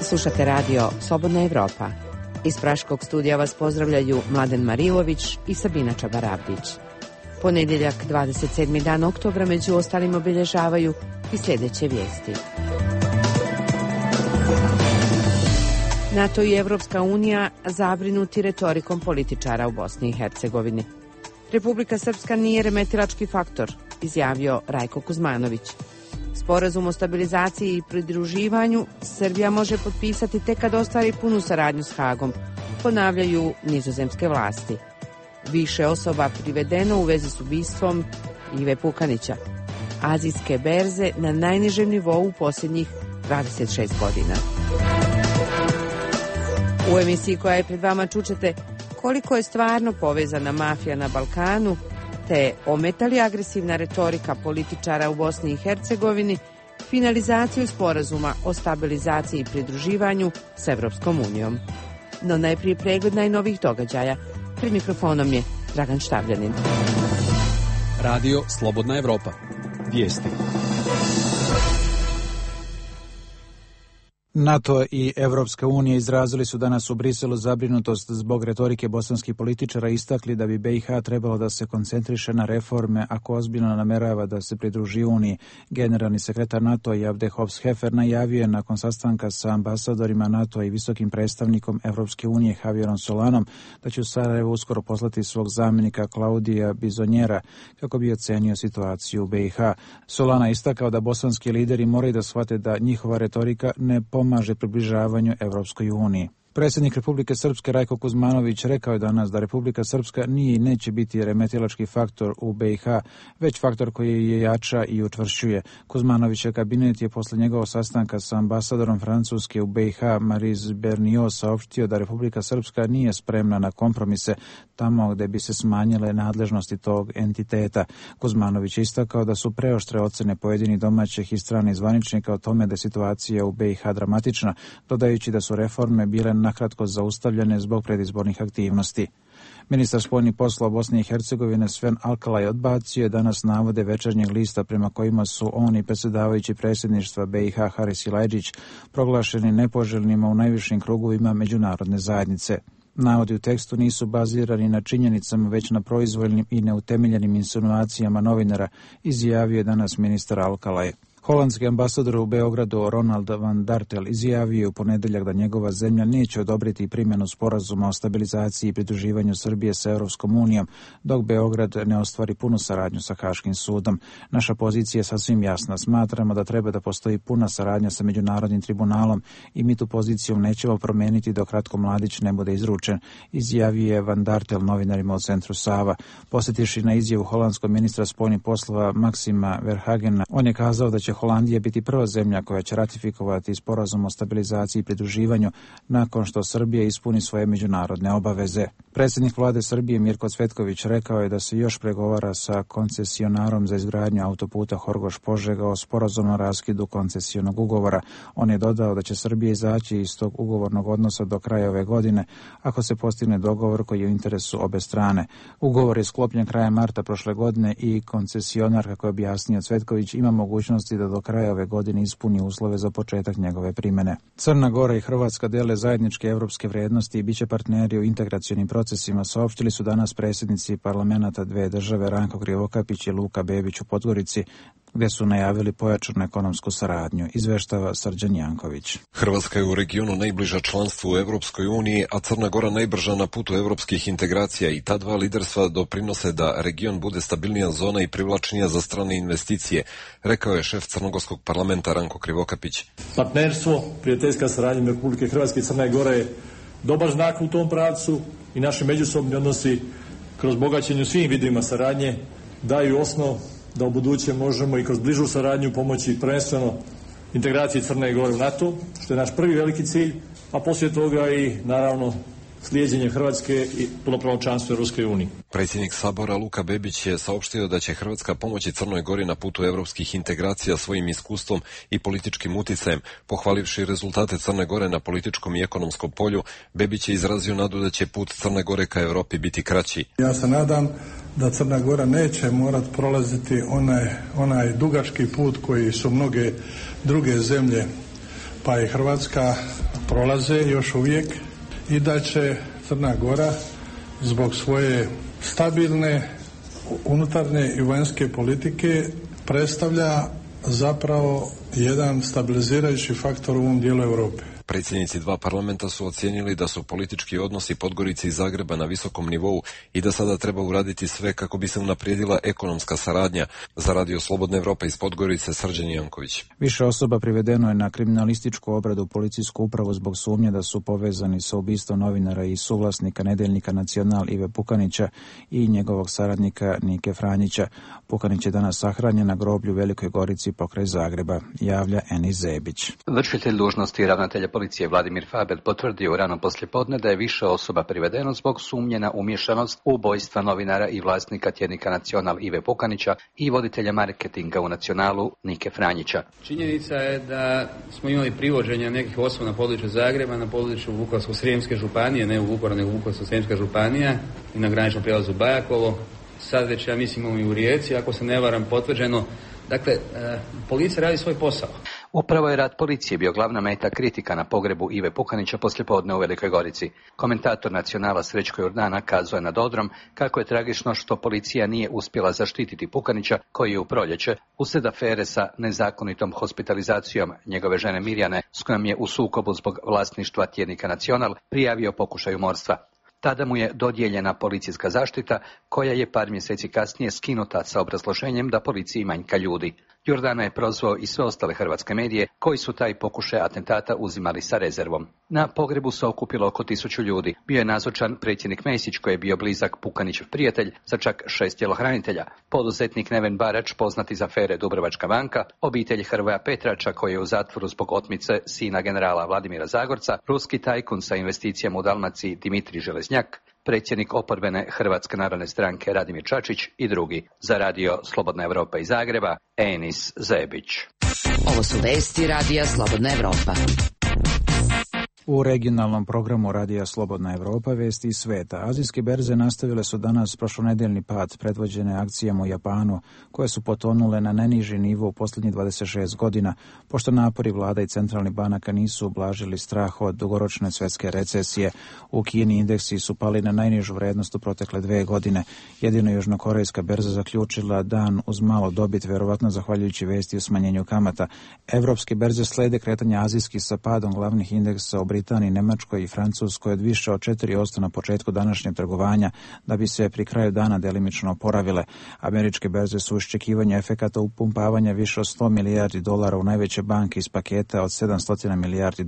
Slušate radio Slobodna Evropa. Iz Praškog studija vas pozdravljaju Mladen Marilović i Sabina Čabarabdić. Ponedjeljak, 27. dan oktobra, među ostalim obilježavaju i sljedeće vijesti. NATO i Evropska unija zabrinuti retorikom političara u Bosni i Hercegovini. Republika Srpska nije remetilački faktor, izjavio Rajko Kuzmanović. Sporazum o stabilizaciji i pridruživanju Srbija može potpisati tek kad ostvari punu saradnju s Hagom, ponavljaju nizozemske vlasti. Više osoba privedeno u vezi s ubistvom Ive Pukanića. Azijske berze na najnižem nivou u posljednjih 26 godina. U emisiji koja je pred vama čućete koliko je stvarno povezana mafija na Balkanu, te ometa li agresivna retorika političara u Bosni i Hercegovini finalizaciju sporazuma o stabilizaciji i pridruživanju s Evropskom unijom. No najprije pregled najnovijih događaja. Pred mikrofonom je Dragan Štavljanin. Radio Slobodna Evropa. Vijesti. NATO i Evropska unija izrazili su danas u Briselu zabrinutost zbog retorike bosanskih političara, istakli da bi BiH trebalo da se koncentriše na reforme ako ozbiljno namerava da se pridruži Uniji. Generalni sekretar NATO Javde Hobbs-Hefer najavio je nakon sastanka sa ambasadorima NATO i visokim predstavnikom Evropske unije Javierom Solanom da će u Sarajevo uskoro poslati svog zamjenika Klaudija Bizonjera kako bi ocenio situaciju u BiH. Solana istakao da bosanski lideri moraju da shvate da njihova retorika ne pomaže približavanju Evropskoj uniji. Predsjednik Republike Srpske Rajko Kuzmanović rekao je danas da Republika Srpska nije i neće biti remetilački faktor u BiH, već faktor koji je jača i učvršćuje. Kuzmanovićev kabinet je posle njegovog sastanka sa ambasadorom Francuske u BiH Maryse Bernio saopštio da Republika Srpska nije spremna na kompromise tamo gde bi se smanjile nadležnosti tog entiteta. Kuzmanović je istakao da su preoštre ocene pojedinih domaćih i stranih zvaničnika o tome da je situacija u BiH dramatična, dodajući da su reforme bile nakratko zaustavljene zbog predizbornih aktivnosti. Ministar spoljnih poslova Bosne i Hercegovine Sven Alkalaj odbacio je danas navode Večernjeg lista prema kojima su on i predsjedavajući predsjedništva BiH Haris Silajdžić proglašeni nepoželjnima u najvišim krugovima međunarodne zajednice. Navodi u tekstu nisu bazirani na činjenicama, već na proizvoljnim i neutemeljenim insinuacijama novinara, izjavio je danas ministar Alkalaj. Holandski ambasador u Beogradu Ronald van Dartel izjavio je u ponedjeljak da njegova zemlja neće odobriti primjenu sporazuma o stabilizaciji i pridruživanju Srbije sa Evropskom unijom, dok Beograd ne ostvari punu saradnju sa Haškim sudom. Naša pozicija je sasvim jasna. Smatramo da treba da postoji puna saradnja sa Međunarodnim tribunalom i mi tu poziciju nećemo promijeniti dok Ratko Mladić ne bude izručen, izjavio je van Dartel novinarima u centru Sava. Posjetiši na izjavu holandskog ministra spoljnih poslova Maxima Verhagena, on je kazao da će Holandija biti prva zemlja koja će ratifikovati sporazum o stabilizaciji i pridruživanju nakon što Srbija ispuni svoje međunarodne obaveze. Predsjednik vlade Srbije Mirko Cvetković rekao je da se još pregovara sa koncesionarom za izgradnju autoputa Horgoš-Požega o sporazumnom raskidu koncesionog ugovora. On je dodao da će Srbija izaći iz tog ugovornog odnosa do kraja ove godine ako se postigne dogovor koji je u interesu obe strane. Ugovor je sklopljen krajem marta prošle godine i koncesionar, kako je objasnio Cvetković, ima mogućnosti da do kraja ove godine ispuni uslove za početak njegove primjene. Crna Gora i Hrvatska dele zajedničke evropske vrijednosti i biće partneri u integracionim procesima, saopštili su danas predsjednici parlamenata dve države Ranko Krivokapić i Luka Bebić u Podgorici, gdje su najavili pojačanu ekonomsku saradnju, izveštava Srđan Janković. Hrvatska je u regionu najbliža članstvu u Evropskoj uniji, a Crna Gora najbrža na putu evropskih integracija i ta dva liderstva doprinose da region bude stabilnija zona i privlačnija za strane investicije, rekao je šef crnogorskog parlamenta Ranko Krivokapić. Partnerstvo, prijateljska saradnja Republike Hrvatske i Crne Gore je dobar znak u tom pravcu i naši međusobni odnosi kroz bogaćenje svim vidovima saradnje daju osnov da u buduće možemo i kroz bližu saradnju pomoći prvenstveno integraciji Crne Gore u NATO, što je naš prvi veliki cilj, a poslije toga i naravno slijeđenje Hrvatske i punopravno članstvo u Europskoj uniji. Predsjednik Sabora Luka Bebić je saopštio da će Hrvatska pomoći Crnoj Gori na putu evropskih integracija svojim iskustvom i političkim uticajem. Pohvalivši rezultate Crne Gore na političkom i ekonomskom polju, Bebić je izrazio nadu da će put Crne Gore ka Europi biti kraći. Ja se nadam da Crna Gora neće morati prolaziti onaj dugački put koji su mnoge druge zemlje, pa i Hrvatska prolaze još uvijek i da će Crna Gora zbog svoje stabilne unutarnje i vanjske politike predstavlja zapravo jedan stabilizirajući faktor u ovom dijelu Europe. Predsjednici dva parlamenta su ocijenili da su politički odnosi Podgorice i Zagreba na visokom nivou i da sada treba uraditi sve kako bi se unaprijedila ekonomska saradnja. Za Radio Slobodna Evropa iz Podgorice, Srđan Janković. Više osoba privedeno je na kriminalističku obradu u policijsku upravu zbog sumnje da su povezani sa ubistvom novinara i suvlasnika nedeljnika Nacional Ive Pukanića i njegovog saradnika Nike Franjića. Pukanić je danas sahranjen na groblju u Velikoj Gorici pokraj Zagreba, javlja Enis Zebić. Vršitelj dužnosti ravnatelja policije Vladimir Faber potvrdio u rano poslijepodne da je više osoba privedeno zbog sumnje na umješanost u ubojstva novinara i vlasnika tjednika Nacional Ive Pukanića i voditelja marketinga u Nacionalu Nike Franjića. Činjenica je da smo imali privođenja nekih osoba na području Zagreba, na području Vukovarsko-srijemske županije, ne u Vukovaru, nego Vukovarsko-srijemska županija i na graničnom prijelazu Bajakovo. Sad već, ja mislim, i u Rijeci, ako se ne varam, potvrđeno. Dakle, policija radi svoj posao. Upravo je rad policije bio glavna meta kritika na pogrebu Ive Pukanića poslijepodne u Velikoj Gorici. Komentator Nacionala Srećko Jordana kazao je nad odrom kako je tragično što policija nije uspjela zaštititi Pukanića, koji je u proljeće, uslijed afere sa nezakonitom hospitalizacijom njegove žene Mirjane, s kojom je u sukobu zbog vlasništva tjednika Nacional prijavio pokušaj umorstva. Tada mu je dodijeljena policijska zaštita, koja je par mjeseci kasnije skinuta sa obrazloženjem da policiji manjka ljudi. Jordana je prozvao i sve ostale hrvatske medije koji su taj pokušaj atentata uzimali sa rezervom. Na pogrebu se okupilo oko 1000 ljudi. Bio je nazočan predsjednik Mesić, koji je bio blizak Pukanićev prijatelj, sa čak 6 tjelohranitelja, poduzetnik Neven Barač, poznati iz afere Dubrovačka banka, obitelj Hrvoja Petrača, koji je u zatvoru zbog otmice sina generala Vladimira Zagorca, ruski tajkun sa investicijama u Dalmaciji Dimitrij Železnjak, predsjednik oporbene Hrvatske narodne stranke Radimir Čačić i drugi. Za Radio Slobodna Evropa iz Zagreba, Enis Zebić. Ovo su vesti Radija Slobodna Evropa. U regionalnom programu Radija Slobodna Evropa vesti iz sveta. Azijske berze nastavile su danas prošlonedeljni pad predvođene akcijama u Japanu, koje su potonule na najniži nivo u posljednjih 26 godina, pošto napori vlada i centralnih banaka nisu ublažili strah od dugoročne svjetske recesije. U Kini indeksi su pali na najnižu vrednost u protekle 2 godine. Jedino južnokorejska berza zaključila dan uz malo dobit, vjerovatno zahvaljujući vesti o smanjenju kamata. Evropske berze slede kretanja azijskih sa padom glavnih indeksa u Britaniji, Nemačkoj i Francuskoj od više od 4% na početku današnjeg trgovanja, da bi se pri kraju dana delimično oporavile. Američke berze su iščekivanja efekata upumpavanja više od $100 milijardi u najveće banke iz paketa od $700 milijardi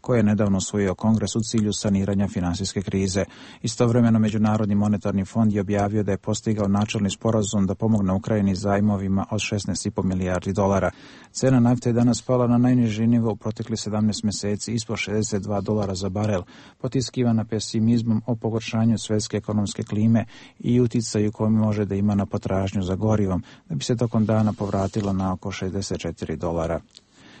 koje je nedavno usvojio Kongres u cilju saniranja finansijske krize. Istovremeno Međunarodni monetarni fond je objavio da je postigao načelni sporazum da pomogne Ukrajini zajmovima od $16,5 milijardi. Cena nafte je danas pala na najniži nivo u protekli 17 mjeseci, ispod $62 za barel, potiskivana pesimizmom o pogoršanju svjetske ekonomske klime i uticaju koji može da ima na potražnju za gorivom, da bi se tokom dana povratilo na oko $64.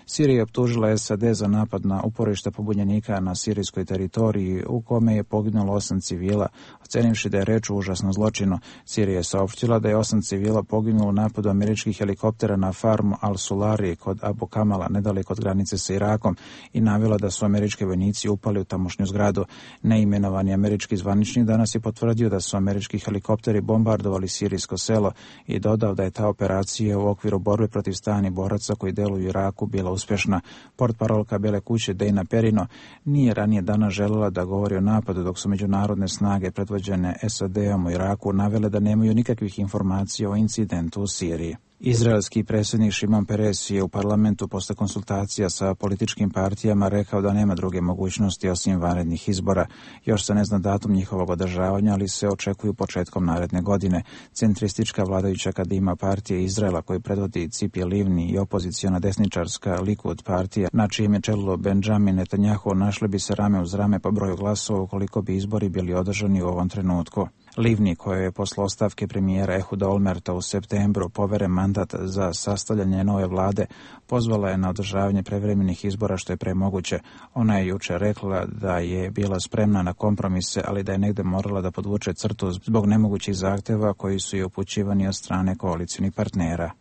Sirija je optužila SAD za napad na uporište pobunjenika na sirijskoj teritoriji, u kome je poginulo 8 civila, ocenivši da je reč o užasnom zločinu. Sirija je saopštila da je 8 civila poginulo u napadu američkih helikoptera na farmu Al-Sulari kod Abu Kamala, nedaleko od granice sa Irakom, i navela da su američki vojnici upali u tamošnju zgradu. Neimenovani američki zvaničnik danas je potvrdio da su američki helikopteri bombardovali sirijsko selo i dodao da je ta operacija u okviru borbe protiv stranih boraca koji deluju u Iraku bila uspješna. Portparolka Bele kuće Dana Perino nije ranije dana željela da govori o napadu, dok su međunarodne snage predvođene SAD-om u Iraku navele da nemaju nikakvih informacija o incidentu u Siriji. Izraelski predsjednik Šimon Peres je u parlamentu posle konsultacija sa političkim partijama rekao da nema druge mogućnosti osim vanrednih izbora. Još se ne zna datum njihovog održavanja, ali se očekuju početkom naredne godine. Centristička vladajuća Kadima partija Izraela, koju predvodi Cipi Livni, i opoziciona desničarska Likud partija, na čijem je čelu Benjamin Netanjahu, našli bi se rame uz rame po broju glasova ukoliko bi izbori bili održani u ovom trenutku. Livni, kojoj je posle ostavke premijera Ehuda Olmerta u septembru poveren mandat za sastavljanje nove vlade, pozvala je na održavanje prevremenih izbora što je premoguće. Ona je jučer rekla da je bila spremna na kompromise, ali da je negde morala da podvuče crtu zbog nemogućih zahteva koji su joj upućivani od strane koalicijnih partnera.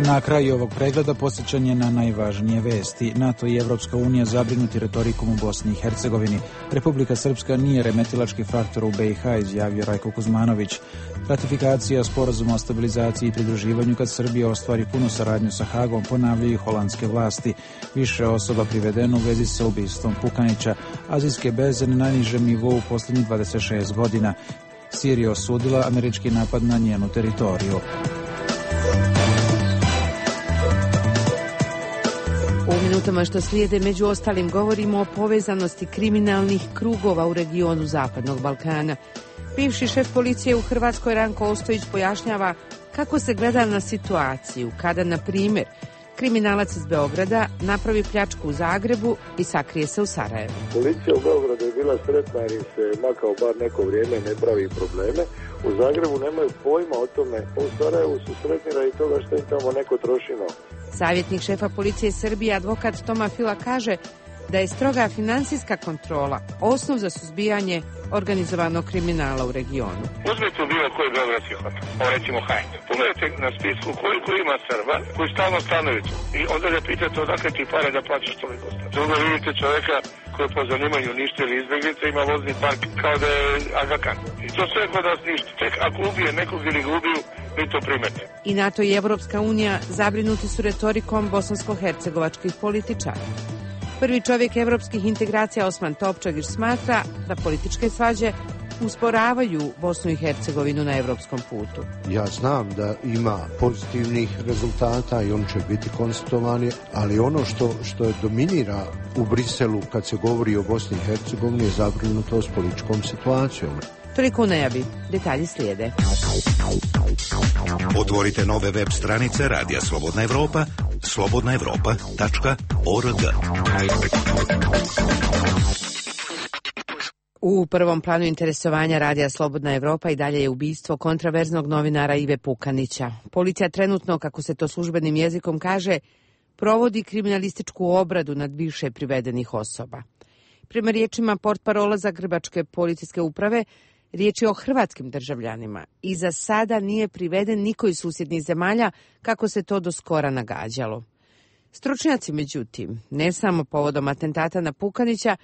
Na kraju ovog pregleda posjećanje na najvažnije vesti. NATO i Evropska unija zabrinuti retorikom u Bosni i Hercegovini. Republika Srpska nije remetilački faktor u BiH, izjavio Rajko Kuzmanović. Ratifikacija sporazuma o stabilizaciji i pridruživanju kad Srbija ostvari punu saradnju sa Hagom, ponavljaju holandske vlasti. Više osoba privedeno u vezi sa ubistvom Pukanića. Azijske berze na najnižem nivou u posljednjih 26 godina. Sirija osudila američki napad na njenu teritoriju. U minutama što slijede, među ostalim, govorimo o povezanosti kriminalnih krugova u regionu Zapadnog Balkana. Bivši šef policije u Hrvatskoj Ranko Ostojić pojašnjava kako se gleda na situaciju kada, na primjer, kriminalac iz Beograda napravi pljačku u Zagrebu i sakrije se u Sarajevu. Policija u Beogradu je bila sretna jer im se makao bar neko vrijeme i ne pravi probleme. U Zagrebu nemaju pojma o tome, u Sarajevu su sretni radi toga što im tamo neko troši novac. Savjetnik šefa policije Srbije, advokat Toma Fila, kaže da je stroga financijska kontrola osnov za suzbijanje organizovanog kriminala u regionu. Uzmite u bilo koji beogradski hotel, recimo Hajn. Pogledajte na spisku koliko ima Srba koji stalno stanuju tu. I onda ga pitate odakle ti pare da plaćaš toliko. Drugo vidite čovjeka koji po zanimanju uništili izbjeglice, ima vozni park kao da je Aga Khan. I to sve kod nas ništa. Tek ako ubije nekog ili ga ubiju, vi to primete. I NATO i Evropska unija zabrinuti su retorikom bosansko-hercegovačkih političara. Prvi čovjek evropskih integracija Osman Topčagić smatra da političke svađe usporavaju Bosnu i Hercegovinu na evropskom putu. Ja znam da ima pozitivnih rezultata i oni će biti konstatovani, ali ono što je dominira u Briselu kad se govori o Bosni i Hercegovini je zabrinutost političkom situacijom. Toliko u najavi. Detalji slijede. Otvorite nove web stranice Radija Slobodna Evropa, slobodnaevropa.org. U prvom planu interesovanja Radija Slobodna Evropa i dalje je ubistvo kontraverznog novinara Ive Pukanića. Policija trenutno, kako se to službenim jezikom kaže, provodi kriminalističku obradu nad više privedenih osoba. Prema riječima portparola Zagrebačke policijske uprave, riječ je o hrvatskim državljanima i za sada nije priveden niko iz susjednih zemalja kako se to do skora nagađalo. Stručnjaci, međutim, ne samo povodom atentata na Pukanića,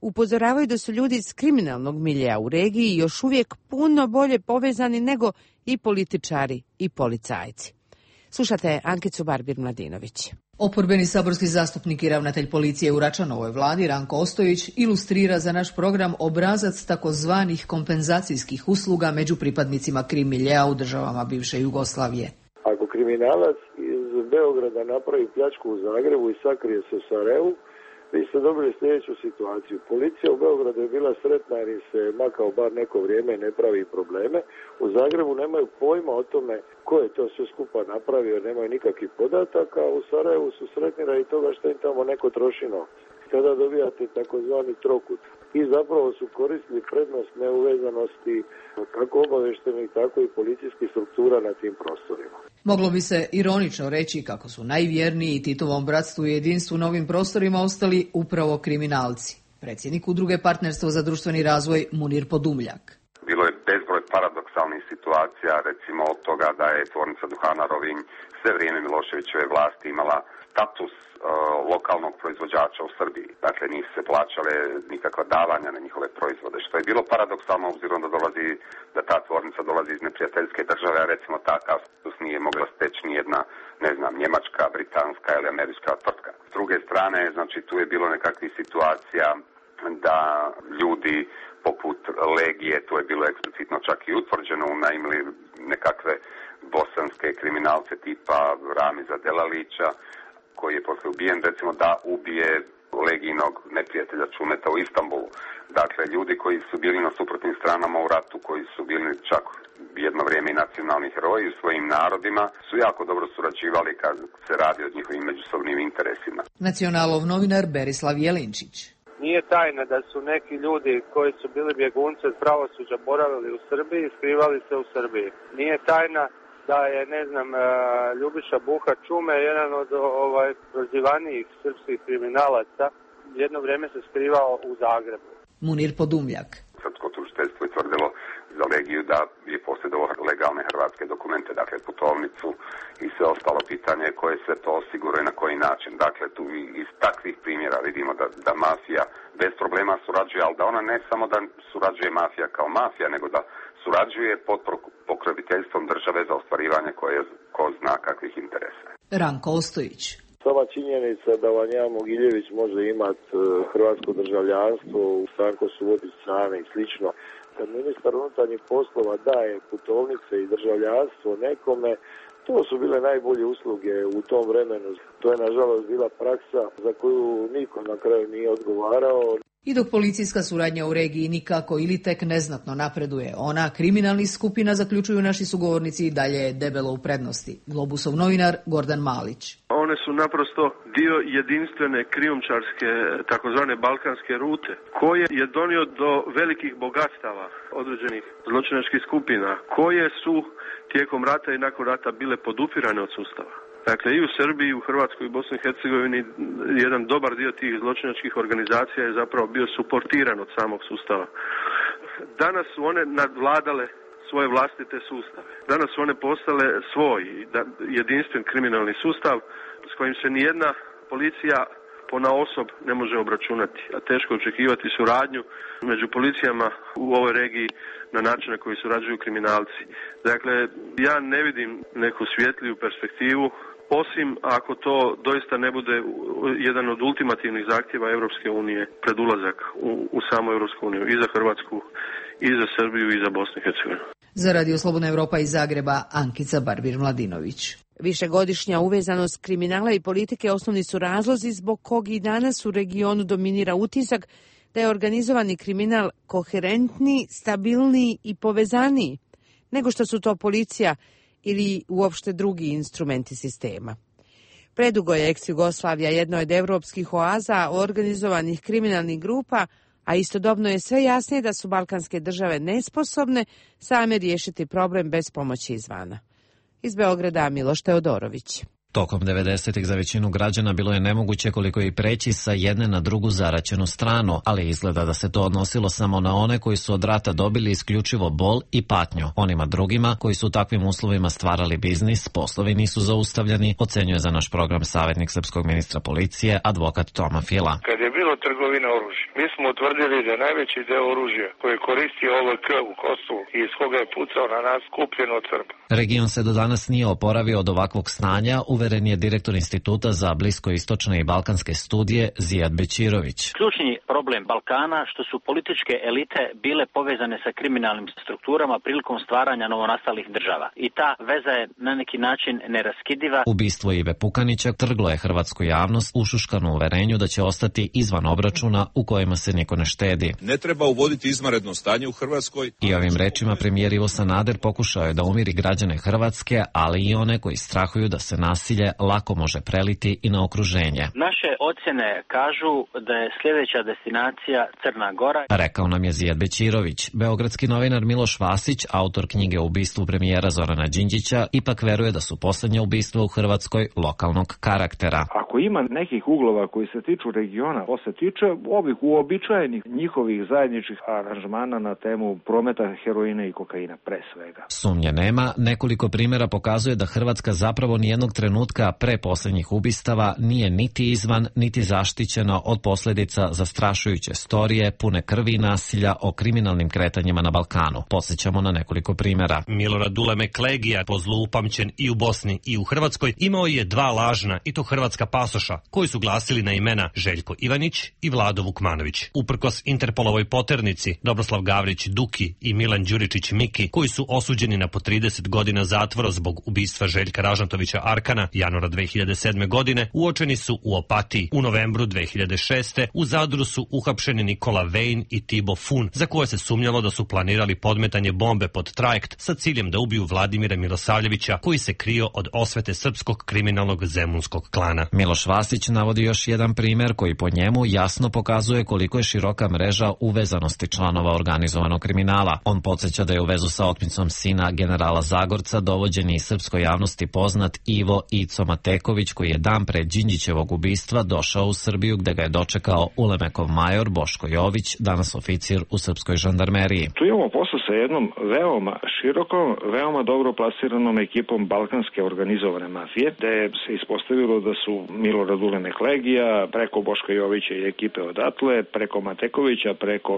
upozoravaju da su ljudi iz kriminalnog miljeja u regiji još uvijek puno bolje povezani nego i političari i policajci. Slušate Ankicu Barbir-Mladinović. Oporbeni saborski zastupnik i ravnatelj policije u Račanovoj vladi Ranko Ostojić ilustrira za naš program obrazac takozvanih kompenzacijskih usluga među pripadnicima krim miljea u državama bivše Jugoslavije. Ako kriminalac iz Beograda napravi pljačku u Zagrebu i sakrije se u Sarajevu, vi ste dobili sljedeću situaciju. Policija u Beogradu je bila sretna jer im se makao bar neko vrijeme i ne pravi probleme. U Zagrebu nemaju pojma o tome ko je to sve skupa napravio jer nemaju nikakvih podataka, a u Sarajevu su sretni radi toga što im tamo neko troši novac. Tada dobijate takozvani trokut. I zapravo su koristili prednost neuvezanosti kako obavještajnih, tako i policijskih struktura na tim prostorima. Moglo bi se ironično reći kako su najvjerniji Titovom bratstvu i jedinstvu na ovim prostorima ostali upravo kriminalci. Predsjednik udruge Partnerstvo za društveni razvoj Munir Podumljak. Bilo je bezbroj paradoksalnih situacija, recimo od toga da je tvornica duhana Rovinj sve vrijeme Miloševićeve vlasti imala status lokalnog proizvođača u Srbiji. Dakle, nisu se plaćale nikakva davanja na njihove proizvode, što je bilo paradoksalno obzirom da ta tvornica dolazi iz neprijateljske države, a recimo takav status nije mogla steći nijedna, njemačka, britanska ili američka tvrtka. S druge strane, znači, tu je bilo nekakvih situacija da ljudi poput Legije, to je bilo eksplicitno čak i utvrđeno, unajmili nekakve bosanske kriminalce tipa Ramiza Delalića, koji je poslije ubijen, recimo da ubije Legijinog neprijatelja Čumeta u Istanbulu. Dakle, ljudi koji su bili na suprotnim stranama u ratu, koji su bili čak jedno vrijeme i nacionalni heroji u svojim narodima, su jako dobro surađivali kad se radi o njihovim međusobnim interesima. Nacionalov novinar Berislav Jelinčić. Nije tajna da su neki ljudi koji su bili bjegunci od pravosuđa boravili u Srbiji i skrivali se u Srbiji. Nije tajna da je, Ljubiša Buha Čume, jedan od prozivanijih srpskih kriminalaca, jedno vrijeme se skrivao u Zagrebu. Munir Podumljak. Srpsko tužiteljstvo je tvrdilo za privilegiju da je posjedovao legalne hrvatske dokumente, dakle putovnicu i sve ostalo pitanje koje se to osiguruje na koji način. Dakle, tu iz takvih primjera vidimo da mafija bez problema surađuje, ali da ona ne samo da surađuje mafija kao mafija, nego da surađuje pod pokroviteljstvom države za ostvarivanje koje ko zna kakvih interesa. Ranko Ostojić. Sama činjenica da Vanja Mogiljević može imati hrvatsko državljanstvo, Stanko Subotić strane i slično, kad ministar unutarnjih poslova daje putovnice i državljanstvo nekome, to su bile najbolje usluge u tom vremenu. To je nažalost bila praksa za koju niko na kraju nije odgovarao. I dok policijska suradnja u regiji nikako ili tek neznatno napreduje, ona kriminalnih skupina, zaključuju naši sugovornici, i dalje je debelo u prednosti. Globusov novinar Gordan Malić. One su naprosto dio jedinstvene krijumčarske takozvane balkanske rute, koje je donio do velikih bogatstava određenih zločinačkih skupina, koje su tijekom rata i nakon rata bile podupirane od sustava. Dakle, i u Srbiji, i u Hrvatskoj i Bosni i Hercegovini jedan dobar dio tih zločinačkih organizacija je zapravo bio suportiran od samog sustava. Danas su one nadvladale svoje vlastite sustave. Danas su one postale svoj jedinstven kriminalni sustav s kojim se nijedna policija ponaosob ne može obračunati, a teško očekivati suradnju među policijama u ovoj regiji na način na koji surađuju kriminalci. Dakle, ja ne vidim neku svjetliju perspektivu, osim ako to doista ne bude jedan od ultimativnih zahtjeva Europske unije pred ulazak u samu Europsku uniju, i za Hrvatsku, i za Srbiju, i za Bosnu i Hercegovinu. Za Radio Slobodna Evropa iz Zagreba, Ankica Barbir-Mladinović. Višegodišnja uvezanost kriminala i politike osnovni su razlozi zbog kog i danas u regionu dominira utisak da je organizovani kriminal koherentniji, stabilniji i povezaniji nego što su to policija ili uopšte drugi instrumenti sistema. Predugo je ex-Jugoslavija jedno od evropskih oaza organizovanih kriminalnih grupa, a istodobno je sve jasnije da su balkanske države nesposobne same riješiti problem bez pomoći izvana. Iz Beograda Miloš Teodorović. Tokom 90-ih za većinu građana bilo je nemoguće koliko i preći sa jedne na drugu zaraćenu stranu, ali izgleda da se to odnosilo samo na one koji su od rata dobili isključivo bol i patnju. Onima drugima koji su u takvim uslovima stvarali biznis, poslovi nisu zaustavljani, ocenjuje za naš program savjetnik srpskog ministra policije, advokat Toma Fila. Kad je bilo trgovina oružja, mi smo utvrdili da najveći deo oružja koje koristi OVK u Kosovu i iz koga je pucao na nas kupljen od Srba. Region se do danas nije oporavio od ovakvog stanja, uveren je direktor Instituta za bliskoistočne i balkanske studije Zijad Bećirović. Ključni problem Balkana što su političke elite bile povezane sa kriminalnim strukturama prilikom stvaranja novonastalih država. I ta veza je na neki način neraskidiva. Ubistvo Ive Pukanića trglo je hrvatsku javnost ušuškanu uverenju da će ostati izvan obračuna u kojima se niko ne štedi. Ne treba uvoditi izvanredno stanje u Hrvatskoj. I ovim rečima premijer Ivo Sanader pokušao je da umiri građane Hrvatske, ali i one koji strahuju da se nasilje lako može preliti i na okruženje. Naše ocjene kažu da je sljedeća destinacija Crna Gora. Rekao nam je Zijad Bećirović. Beogradski novinar Miloš Vasić, autor knjige o ubistvu premijera Zorana Đinđića, ipak veruje da su posljednja ubistva u Hrvatskoj lokalnog karaktera. Ako ima nekih uglova koji se tiču regiona, to se tiče ovih uobičajenih njihovih zajedničkih aranžmana na temu prometa heroina i kokaina pre svega. Sumnje nema, nekoliko primjera pokazuje da Hrvatska zapravo nijednog trenutka pre posljednjih ubistava nije niti izvan, niti zaštićena od posljedica zastrašujuće storije pune krvi i nasilja o kriminalnim kretanjima na Balkanu. Podsjećamo na nekoliko primjera. Milorad Duleme Klegija, po zlu upamćen i u Bosni i u Hrvatskoj, imao je dva lažna, i to hrvatska pasoša, koji su glasili na imena Željko Ivanić i Vlado Vukmanović. Uprkos Interpolovoj poternici, Dobroslav Gavrić Duki i Milan Đuričić Miki, koji su osuđeni na po 30 godina zatvora zbog ubistva Željka Ražnatovića Arkana januara 2007. godine, uočeni su u Opatiji. U novembru 2006. u Zadru su uhapšeni Nikola Vejn i Tibo Fun, za koje se sumnjalo da su planirali podmetanje bombe pod trajekt sa ciljem da ubiju Vladimira Milosavljevića, koji se krio od osvete srpskog kriminalnog zemunskog klana. Miloš Vasić navodi još jedan primjer koji po njemu jasno pokazuje koliko je široka mreža uvezanosti članova organizovanog kriminala. On podsjeća da je u vezu sa otmicom sina generala Zagorca dovođen i srpskoj javnosti poznat Ivo Ico Mateković, koji je dan pre Đinđićevog ubistva došao u Srbiju gde ga je dočekao Ulemekov major Boško Jović, danas oficir u srpskoj žandarmeriji. Tu imamo posao sa jednom veoma širokom, veoma dobro plasiranom ekipom balkanske organizovane mafije, gde se ispostavilo da su Milorad Ulemek Legija, preko Boška Jovića i ekipe odatle, preko Matekovića, preko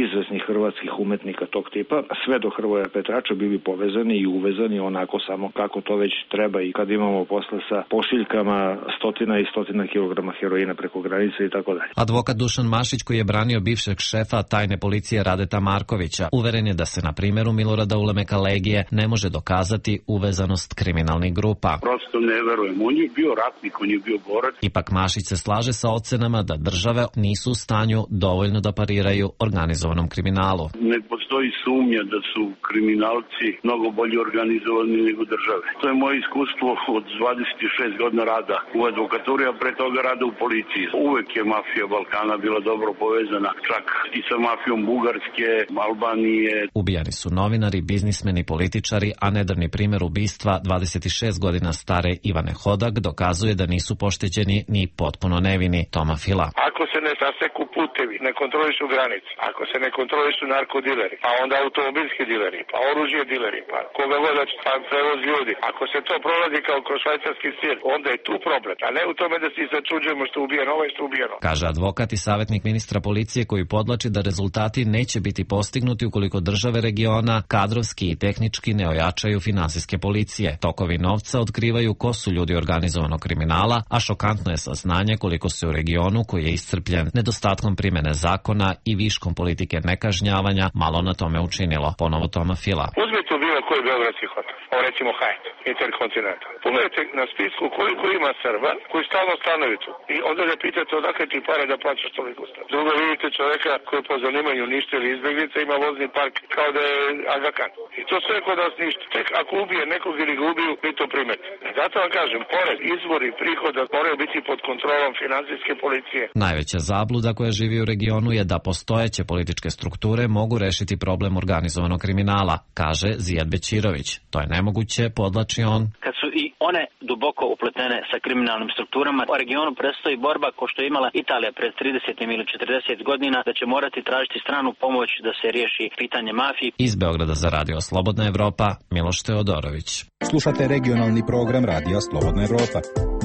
izvesnih hrvatskih umetnika tog tipa, sve do Hrvoja Petrača bili povezani i uvezani onako samo kako to već treba i kad imamo posla sa pošiljkama stotina i stotina kilograma heroina preko granice i tako dalje. Advokat Dušan Mašić, koji je branio bivšeg šefa tajne policije Radeta Markovića, uveren je da se na primjeru Milorada Ulemeka Legije ne može dokazati uvezanost kriminalnih grupa. Prosto ne verujem. On je bio ratnik, on je bio borac. Ipak Mašić se slaže sa ocenama da države nisu u stanju dovoljno da pariraju organizovanom kriminalu. Ne postoji sumnja da su kriminalci mnogo bolje organizovani nego države. To je moje iskustvo od 26 godina rada u advokaturi, a pre toga rada u policiji. Uvek je mafija Balkana bila dobro povezana, čak i sa mafijom Bugarske, Albanije. Ubijani su novinari, biznismeni, političari, a nedavni primjer ubistva 26 godina stare Ivane Hodak dokazuje da nisu pošteđeni ni potpuno nevini. Toma Fila. Ako se ne saseku putevi, ne kontrolišu granice, ako se ne kontrolišu narkodileri, pa onda automobilski dileri, pa oružje dileri, pa koga god da će tam prevoz ljudi. Ako se to prolazi kao kroz švajcarski sir, onda je tu problem, a ne u tome da se začuđujemo što je ubijeno, ovo je što je ubijeno. Kaže advokat i savjetnik ministra policije, koji podlači da rezultati neće biti postignuti ukoliko države regiona kadrovski i tehnički ne ojačaju finansijske policije. Tokovi novca otkrivaju ko su ljudi organizovanog kriminala, a šokantno je saznanje koliko se u regionu, koji je iscrpljen nedostatkom primjene zakona i viškom politike nekažnjavanja, malo na tome učinilo. Ponovo Toma Fila. Uzmite u bilo koji beogradski hotel, recimo Hyatt, Intercontinental. Pogledajte na spisku koliko ima Srba koji stalno stanuju tu. I onda da pitate odakle ti pare da plaćaš toliko stan. Drugo vidite čoveka koji po zanimanju ništa ili izbjeglica ima vozni park kao da je Aga Khan. I to sve kod nas ništa. Tek ako ubije nekog ili ga ubiju, mi to primete. Zato vam kažem, pored izvori prihoda moraju biti pod kontrolom finansijske policije. Najveća zabluda koja živi u regionu je da postojeće političke strukture mogu rešiti problem organizovanog kriminala, kaže Zijad Bećirović. To je nemoguće, podlači on. Kad su i one duboko upletene sa kriminalnim strukturama, u regionu predstoji borba ko što je imala Italija pred 30 ili 40 godina, da će morati tražiti stranu pomoć da se riješi pitanje mafije. Iz Beograda za Radio Slobodna Evropa, Miloš Teodorović. Slušate regionalni program Radija Slobodna Evropa.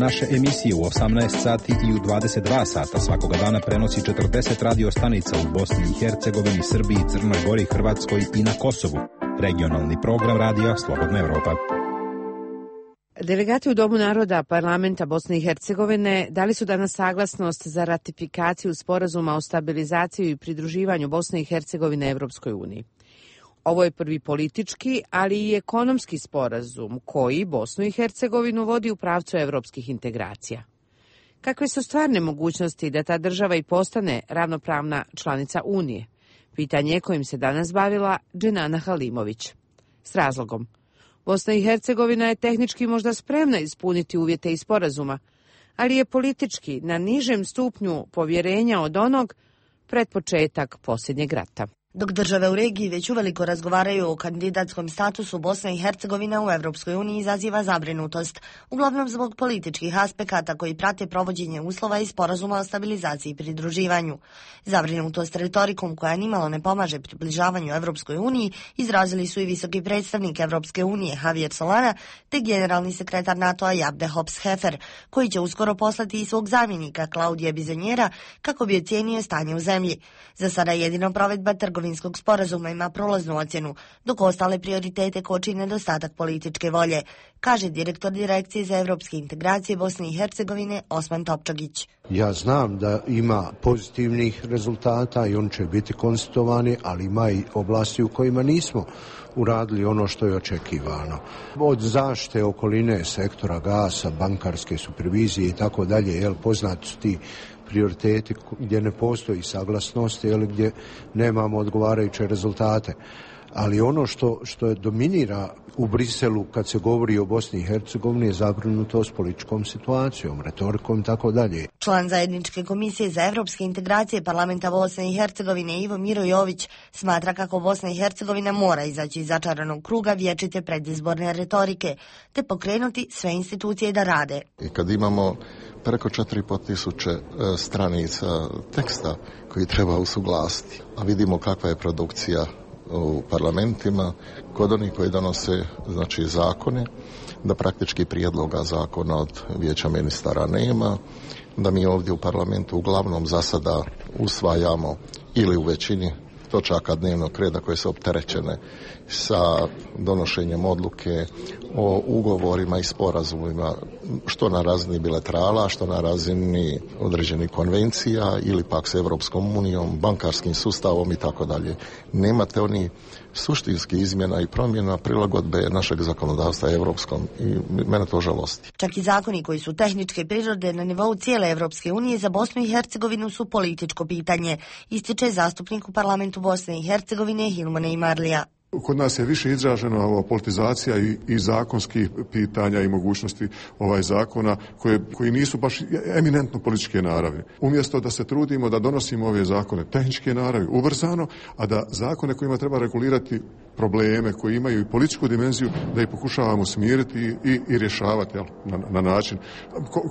Naše emisije u 18 sati i u 22 sata svakoga dana prenosi 40 radio stanica u Bosni i Hercegovini, Srbiji, Crnoj Gori, Hrvatskoj i na Kosovu. Regionalni program Radija Slobodna Evropa. Delegati u Domu naroda parlamenta Bosne i Hercegovine dali su danas saglasnost za ratifikaciju sporazuma o stabilizaciji i pridruživanju Bosne i Hercegovine Evropskoj uniji. Ovo je prvi politički, ali i ekonomski sporazum koji Bosnu i Hercegovinu vodi u pravcu evropskih integracija. Kakve su stvarne mogućnosti da ta država i postane ravnopravna članica Unije? Pitanje kojim se danas bavila Dženana Halimović. S razlogom. Bosna i Hercegovina je tehnički možda spremna ispuniti uvjete iz sporazuma, ali je politički na nižem stupnju povjerenja od onog pred početak posljednjeg rata. Dok države u regiji već uveliko razgovaraju o kandidatskom statusu, Bosna i Hercegovina u Evropskoj uniji izaziva zabrinutost, uglavnom zbog političkih aspekata koji prate provođenje uslova iz sporazuma o stabilizaciji i pridruživanju. Zabrinutost retorikom koja nimalo ne pomaže približavanju Evropskoj uniji izrazili su i visoki predstavnik Evropske unije Javier Solana te generalni sekretar NATO-a Jabde Hops-Hefer, koji će uskoro poslati i svog zamjenika Klaudija Bizonjera kako bi ocijenio stanje u zemlji. Za sada jedino provedba trgovinskog sporazuma ima prolaznu ocjenu, dok ostale prioritete koči nedostatak političke volje, kaže direktor Direkcije za evropske integracije Bosne i Hercegovine Osman Topčagić. Ja znam da ima pozitivnih rezultata i on će biti konstatovani, ali ima i oblasti u kojima nismo uradili ono što je očekivano. Od zaštite okoline, sektora gasa, bankarske supervizije i tako dalje, poznati su ti prioriteti gdje ne postoji saglasnost ili gdje nemamo odgovarajuće rezultate. Ali ono što je dominira u Briselu kad se govori o Bosni i Hercegovini je zabrinutost političkom situacijom, retorikom i tako dalje. Član Zajedničke komisije za evropske integracije Parlamenta Bosne i Hercegovine Ivo Miro Jović smatra kako Bosna i Hercegovina mora izaći iz začaranog kruga vječite predizborne retorike te pokrenuti sve institucije da rade. I kad imamo preko 4.500 stranica teksta koji treba usuglasiti, a vidimo kakva je produkcija u parlamentima kod onih koji donose zakone, da praktički prijedloga zakona od Vijeća ministara nema, da mi ovdje u parlamentu uglavnom za sada usvajamo ili u većini točaka dnevnog reda koje su opterećene sa donošenjem odluke o ugovorima i sporazumima, što na razini bilaterala, što na razini određenih konvencija ili pak s Europskom unijom, bankarskim sustavom i tako dalje. Nemate oni suštinskih izmjena i promjena prilagodbe našeg zakonodavstva europskom i mene to žalosti. Čak i zakoni koji su tehničke prirode na nivou cijele Europske unije za Bosnu i Hercegovinu su političko pitanje, ističe zastupnik u parlamentu Bosne i Hercegovine Hilmone Imarlija. Kod nas je više izražena ova politizacija i zakonskih pitanja i mogućnosti zakona koji nisu baš eminentno političke naravi. Umjesto da se trudimo da donosimo ove zakone tehničke naravi ubrzano, a da zakone kojima treba regulirati probleme koji imaju i političku dimenziju, da ih pokušavamo smiriti i rješavati na način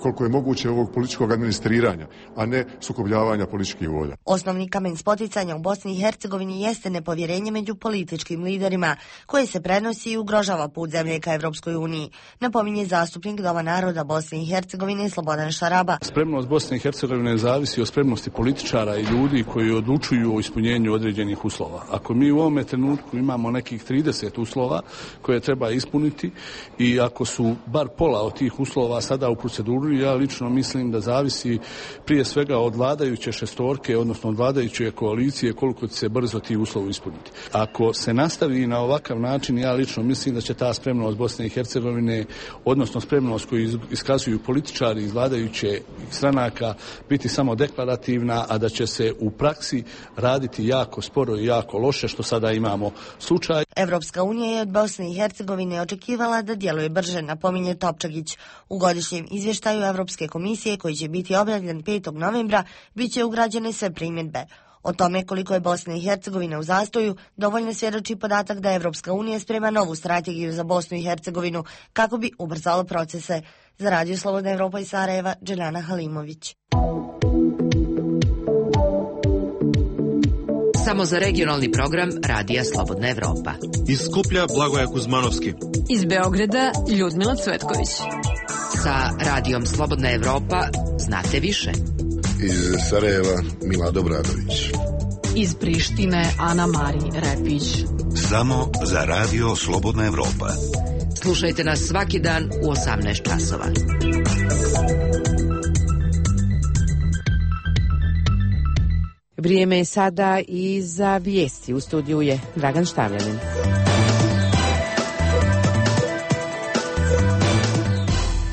koliko je moguće ovog političkog administriranja, a ne sukobljavanja političkih volja. Osnovni kamen spoticanja u Bosni i Hercegovini jeste nepovjerenje među političkim liderima, koje se prenosi i ugrožava put zemlje ka Evropskoj uniji, napominje zastupnik Doma naroda Bosne i Hercegovine Slobodan Šaraba. Spremnost Bosne i Hercegovine zavisi od spremnosti političara i ljudi koji odlučuju o ispunjenju određenih uslova. Ako mi u ovome trenutku imamo nekih 30 uslova koje treba ispuniti i ako su bar pola od tih uslova sada u proceduri, ja lično mislim da zavisi prije svega od vladajuće šestorke, odnosno od vladajuće koalicije, koliko će se brzo ti uslovi ispuniti. Ako se nastavi na ovakav način, ja lično mislim da će ta spremnost Bosne i Hercegovine, odnosno spremnost koju iskazuju političari iz vladajuće stranaka, biti samo deklarativna, a da će se u praksi raditi jako sporo i jako loše, što sada imamo slučaj. Evropska unija je od Bosne i Hercegovine očekivala da djeluje brže, napominje Topčagić. U godišnjem izvještaju Evropske komisije, koji će biti objavljen 5. novembra, bit će ugrađene sve primjedbe. O tome koliko je Bosna i Hercegovina u zastoju dovoljno svjedoči podatak da Evropska unija sprema novu strategiju za Bosnu i Hercegovinu kako bi ubrzalo procese. Za Radio Slobodna Evropa iz Sarajeva, Dželjana Halimović. Samo za regionalni program Radija Slobodna Evropa. Iz Skuplja Blagoja Kuzmanovski. Iz Beograda Ljudmila Cvetković. Sa Radijom Slobodna Evropa znate više. Iz Sarajeva Mila Dobradović. Iz Prištine Ana Mari Repić. Samo za Radio Slobodna Evropa. Slušajte nas svaki dan u 18 časova. Vrijeme je sada i za vijesti. U studiju je Dragan Štavljanin.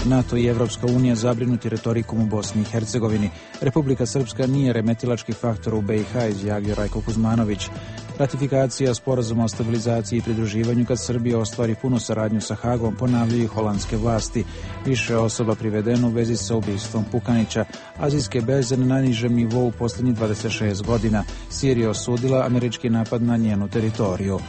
NATO i Evropska unija zabrinuti retorikom u Bosni i Hercegovini. Republika Srpska nije remetilački faktor u BiH, izjavio Rajko Kuzmanović. Ratifikacija sporazuma o stabilizaciji i pridruživanju kad Srbija ostvari punu saradnju sa Hagom, ponavljaju holandske vlasti. Više osoba privedeno u vezi sa ubistvom Pukanića. Azijske berze na najnižem nivou u posljednjih 26 godina. Sirija osudila američki napad na njenu teritoriju.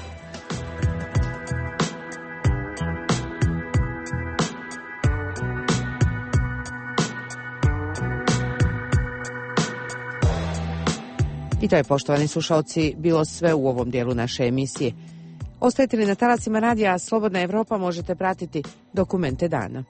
I to je, poštovani slušalci, bilo sve u ovom dijelu naše emisije. Ostajete li na talasima radija Slobodna Evropa, možete pratiti dokumente dana.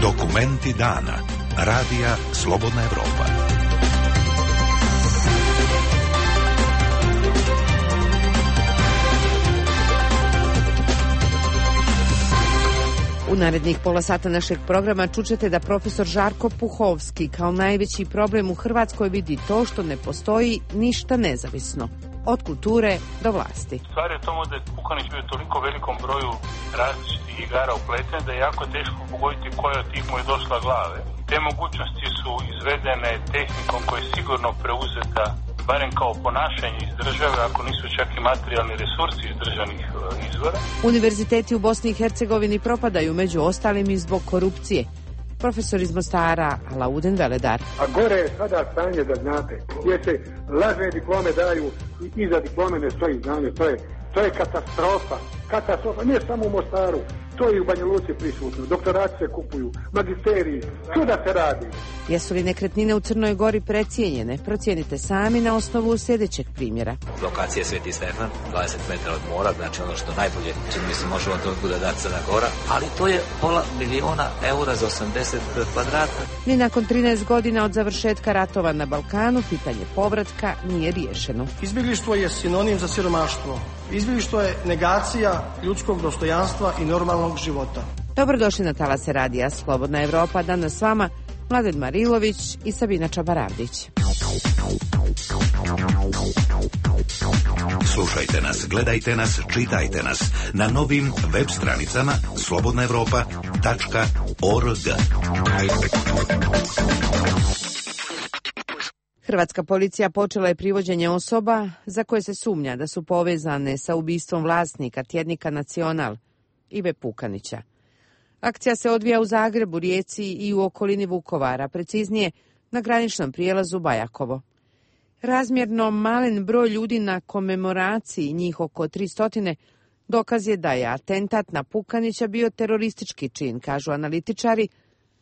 Dokumenti dana. Radija Slobodna Evropa. U narednih pola sata našeg programa čućete da profesor Žarko Puhovski kao najveći problem u Hrvatskoj vidi to što ne postoji ništa nezavisno. Od kulture do vlasti. Stvar je tomu da je Pukanić bio toliko velikom broju različitih igara upleten da je jako teško pogoditi koja od tih mu je došla glave. Te mogućnosti su izvedene tehnikom koja je sigurno preuzeta barem kao ponašanje iz države, ako nisu čak i materijalni resursi iz državnih izvora. Univerziteti u Bosni i Hercegovini propadaju, među ostalim i zbog korupcije. Profesor iz Mostara, Alaudin Veledar. A gore je sada stanje, da znate, gdje se lažne diplome daju i iza diplome ne stoji znanje. To je katastrofa. Katastrofa, ne samo u Mostaru, to i u Banja Luci prisutno. Doktorati se kupuju, magisteriji, čuda se radi. Jesu li nekretnine u Crnoj Gori precijenjene? Procijenite sami na osnovu sljedećeg primjera. Lokacija Sveti Stefan, 20 metara od mora, znači ono što najbolje čini mi se može od toga da Crna Gora, ali to je €500.000 za 80 kvadrata. Ni nakon 13 godina od završetka ratova na Balkanu, pitanje povratka nije riješeno. Izbjeglištvo je sinonim za siromaštvo. Izbjeglištvo je negacija ljudskog dostojanstva i normalnog života. Dobrodošli na talase radija Slobodna Evropa. Danas s vama Mladen Marilović i Sabina Čabaravdić. Slušajte nas, gledajte nas, čitajte nas na novim web stranicama slobodnaevropa.org. Hrvatska policija počela je privođenje osoba za koje se sumnja da su povezane sa ubistvom vlasnika tjednika Nacional, Ive Pukanića. Akcija se odvija u Zagrebu, Rijeci i u okolini Vukovara, preciznije na graničnom prijelazu Bajakovo. Razmjerno malen broj ljudi na komemoraciji, njih oko 300, dokaz je da je atentat na Pukanića bio teroristički čin, kažu analitičari,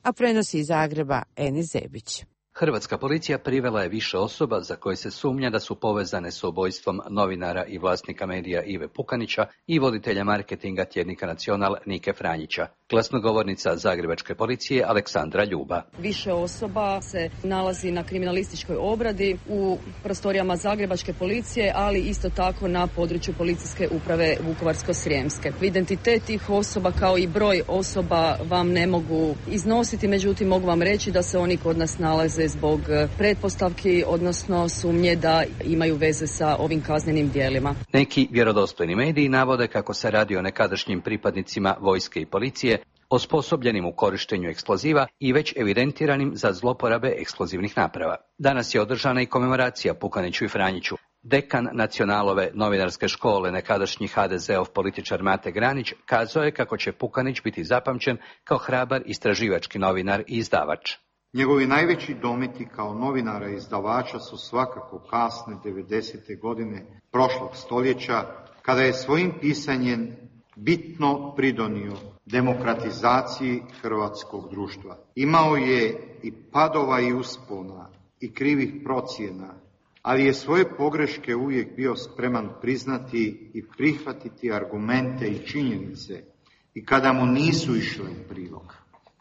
a prenosi iz Zagreba Enis Zebić. Hrvatska policija privela je više osoba za koje se sumnja da su povezane s ubojstvom novinara i vlasnika medija Ive Pukanića i voditelja marketinga tjednika Nacional Nike Franjića. Glasnogovornica zagrebačke policije Aleksandra Ljuba. Više osoba se nalazi na kriminalističkoj obradi u prostorijama zagrebačke policije, ali isto tako na području policijske uprave Vukovarsko-srijemske. Identitet tih osoba kao i broj osoba vam ne mogu iznositi, međutim mogu vam reći da se oni kod nas nalaze zbog pretpostavki, odnosno sumnje da imaju veze sa ovim kaznenim djelima. Neki vjerodostojni mediji navode kako se radi o nekadašnjim pripadnicima vojske i policije, osposobljenim u korištenju eksploziva i već evidentiranim za zloporabe eksplozivnih naprava. Danas je održana i komemoracija Pukaniću i Franjiću. Dekan Nacionalove novinarske škole, nekadašnji HDZ-ov političar Mate Granić, kazao je kako će Pukanić biti zapamćen kao hrabar istraživački novinar i izdavač. Njegovi najveći dometi kao novinara i izdavača su svakako kasne 90. godine prošlog stoljeća, kada je svojim pisanjem bitno pridonio demokratizaciji hrvatskog društva. Imao je i padova i uspona i krivih procjena, ali je svoje pogreške uvijek bio spreman priznati i prihvatiti argumente i činjenice i kada mu nisu išle u prilog.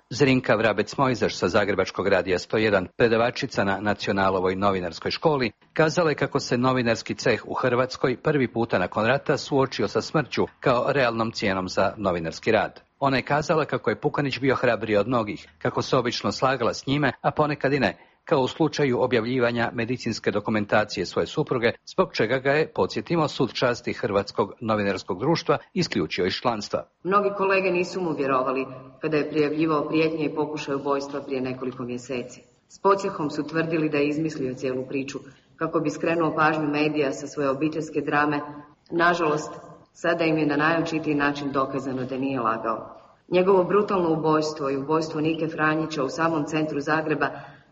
Zrinka Vrabec-Mojzaš sa Zagrebačkog radija 101, predavačica na Nacionalovoj novinarskoj školi, kazala je kako se novinarski ceh u Hrvatskoj prvi puta nakon rata suočio sa smrću kao realnom cijenom za novinarski rad. Ona je kazala kako je Pukanić bio hrabriji od mnogih, kako se obično slagala s njime, a ponekad i ne, kao u slučaju objavljivanja medicinske dokumentacije svoje supruge, zbog čega ga je, podsjetimo, Sud časti Hrvatskog novinarskog društva isključio iz članstva. Mnogi kolege nisu mu vjerovali kada je prijavljivao prijetnje i pokušaj ubojstva prije nekoliko mjeseci. S podsjehom su tvrdili da je izmislio cijelu priču kako bi skrenuo pažnju medija sa svoje obiteljske drame. Nažalost, sada im je na najočitiji način dokazano da nije lagao. Njegovo brutalno ubojstvo i ubojstvo Nike Franjića u samom centru Zagreba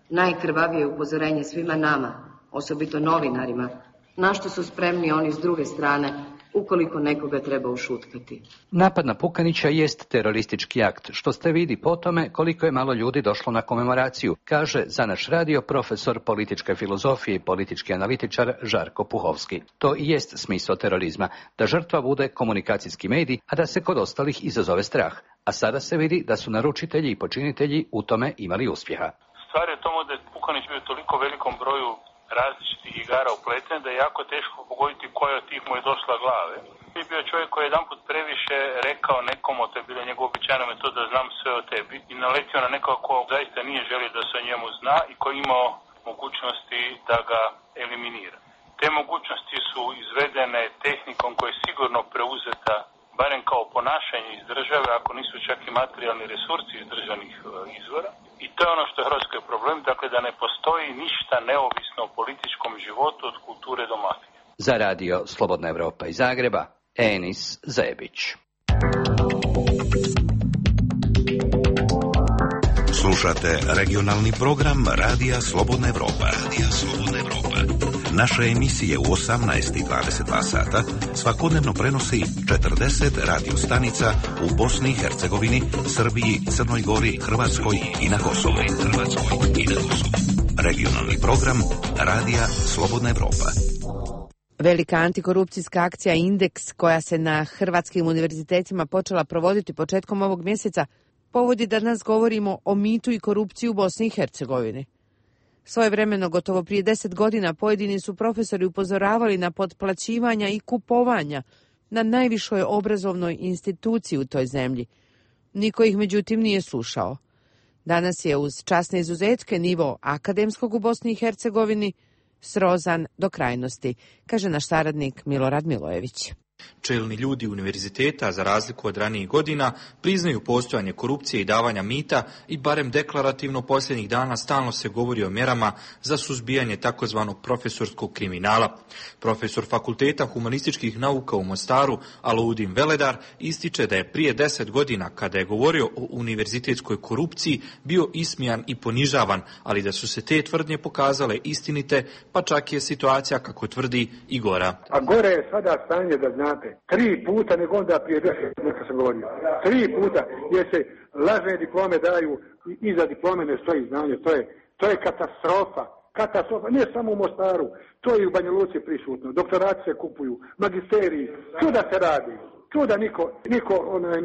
najkrvavije upozorenje svima nama, osobito novinarima, na što su spremni oni s druge strane ukoliko nekoga treba ušutkati. Napad na Pukanića jest teroristički akt, što ste vidi po tome koliko je malo ljudi došlo na komemoraciju, kaže za naš radio profesor političke filozofije i politički analitičar Žarko Puhovski. To i jest smisao terorizma, da žrtva bude komunikacijski medij, a da se kod ostalih izazove strah. A sada se vidi da su naručitelji i počinitelji u tome imali uspjeha. Stvar je tomu da je Pukanić bio toliko velikom broju različitih igara upleten da je jako teško pogoditi koja od tih mu je došla glave. Je bio čovjek koji je jedanput previše rekao nekomu, to je bila njegova običajna metoda da znam sve o tebi, i naletio na nekoga ko zaista nije želio da se o njemu zna i koji imao mogućnosti da ga eliminira. Te mogućnosti su izvedene tehnikom koja je sigurno preuzeta barem kao ponašanje iz države, ako nisu čak i materijalni resursi iz državnih izvora. I to je ono što je Hrvatskoj problem, dakle da ne postoji ništa neovisno o političkom životu od kulture do mafije. Za radio Slobodna Evropa iz Zagreba, Enis Zebić. Slušate regionalni program Radija Slobodna Evropa. Naše emisije u 18 i 22 sata svakodnevno prenosi 40 radio stanica u Bosni i Hercegovini, Srbiji, Crnoj Gori, Hrvatskoj i na Kosovu. Regionalni program Radija Slobodna Evropa. Velika antikorupcijska akcija Indeks, koja se na hrvatskim univerzitetima počela provoditi početkom ovog mjeseca, povodi da danas govorimo o mitu i korupciji u Bosni i Hercegovini. Svojevremeno, gotovo prije 10 godina, pojedini su profesori upozoravali na potplaćivanja i kupovanja na najvišoj obrazovnoj instituciji u toj zemlji. Niko ih međutim nije slušao. Danas je uz časne izuzetke nivo akademskog u Bosni i Hercegovini srozan do krajnosti, kaže naš saradnik Milorad Milojević. Čelni ljudi univerziteta, za razliku od ranijih godina, priznaju postojanje korupcije i davanja mita i barem deklarativno posljednjih dana stalno se govori o mjerama za suzbijanje takozvanog profesorskog kriminala. Profesor Fakulteta humanističkih nauka u Mostaru, Alaudin Veledar, ističe da je prije 10 godina, kada je govorio o univerzitetskoj korupciji, bio ismijan i ponižavan, ali da su se te tvrdnje pokazale istinite, pa čak je situacija, kako tvrdi, i gora. A gore je sada stanje, da znate, 3 puta nego onda prije 10 godina kad sam govorio. 3 puta, jer se lažne diplome daju i iza diplome ne stoji znanje. To je katastrofa. Katastrofa, ne samo u Mostaru, to je i u Banja Luci prisutno. Doktorati se kupuju, magisteriji, čuda se radi. Čuda niko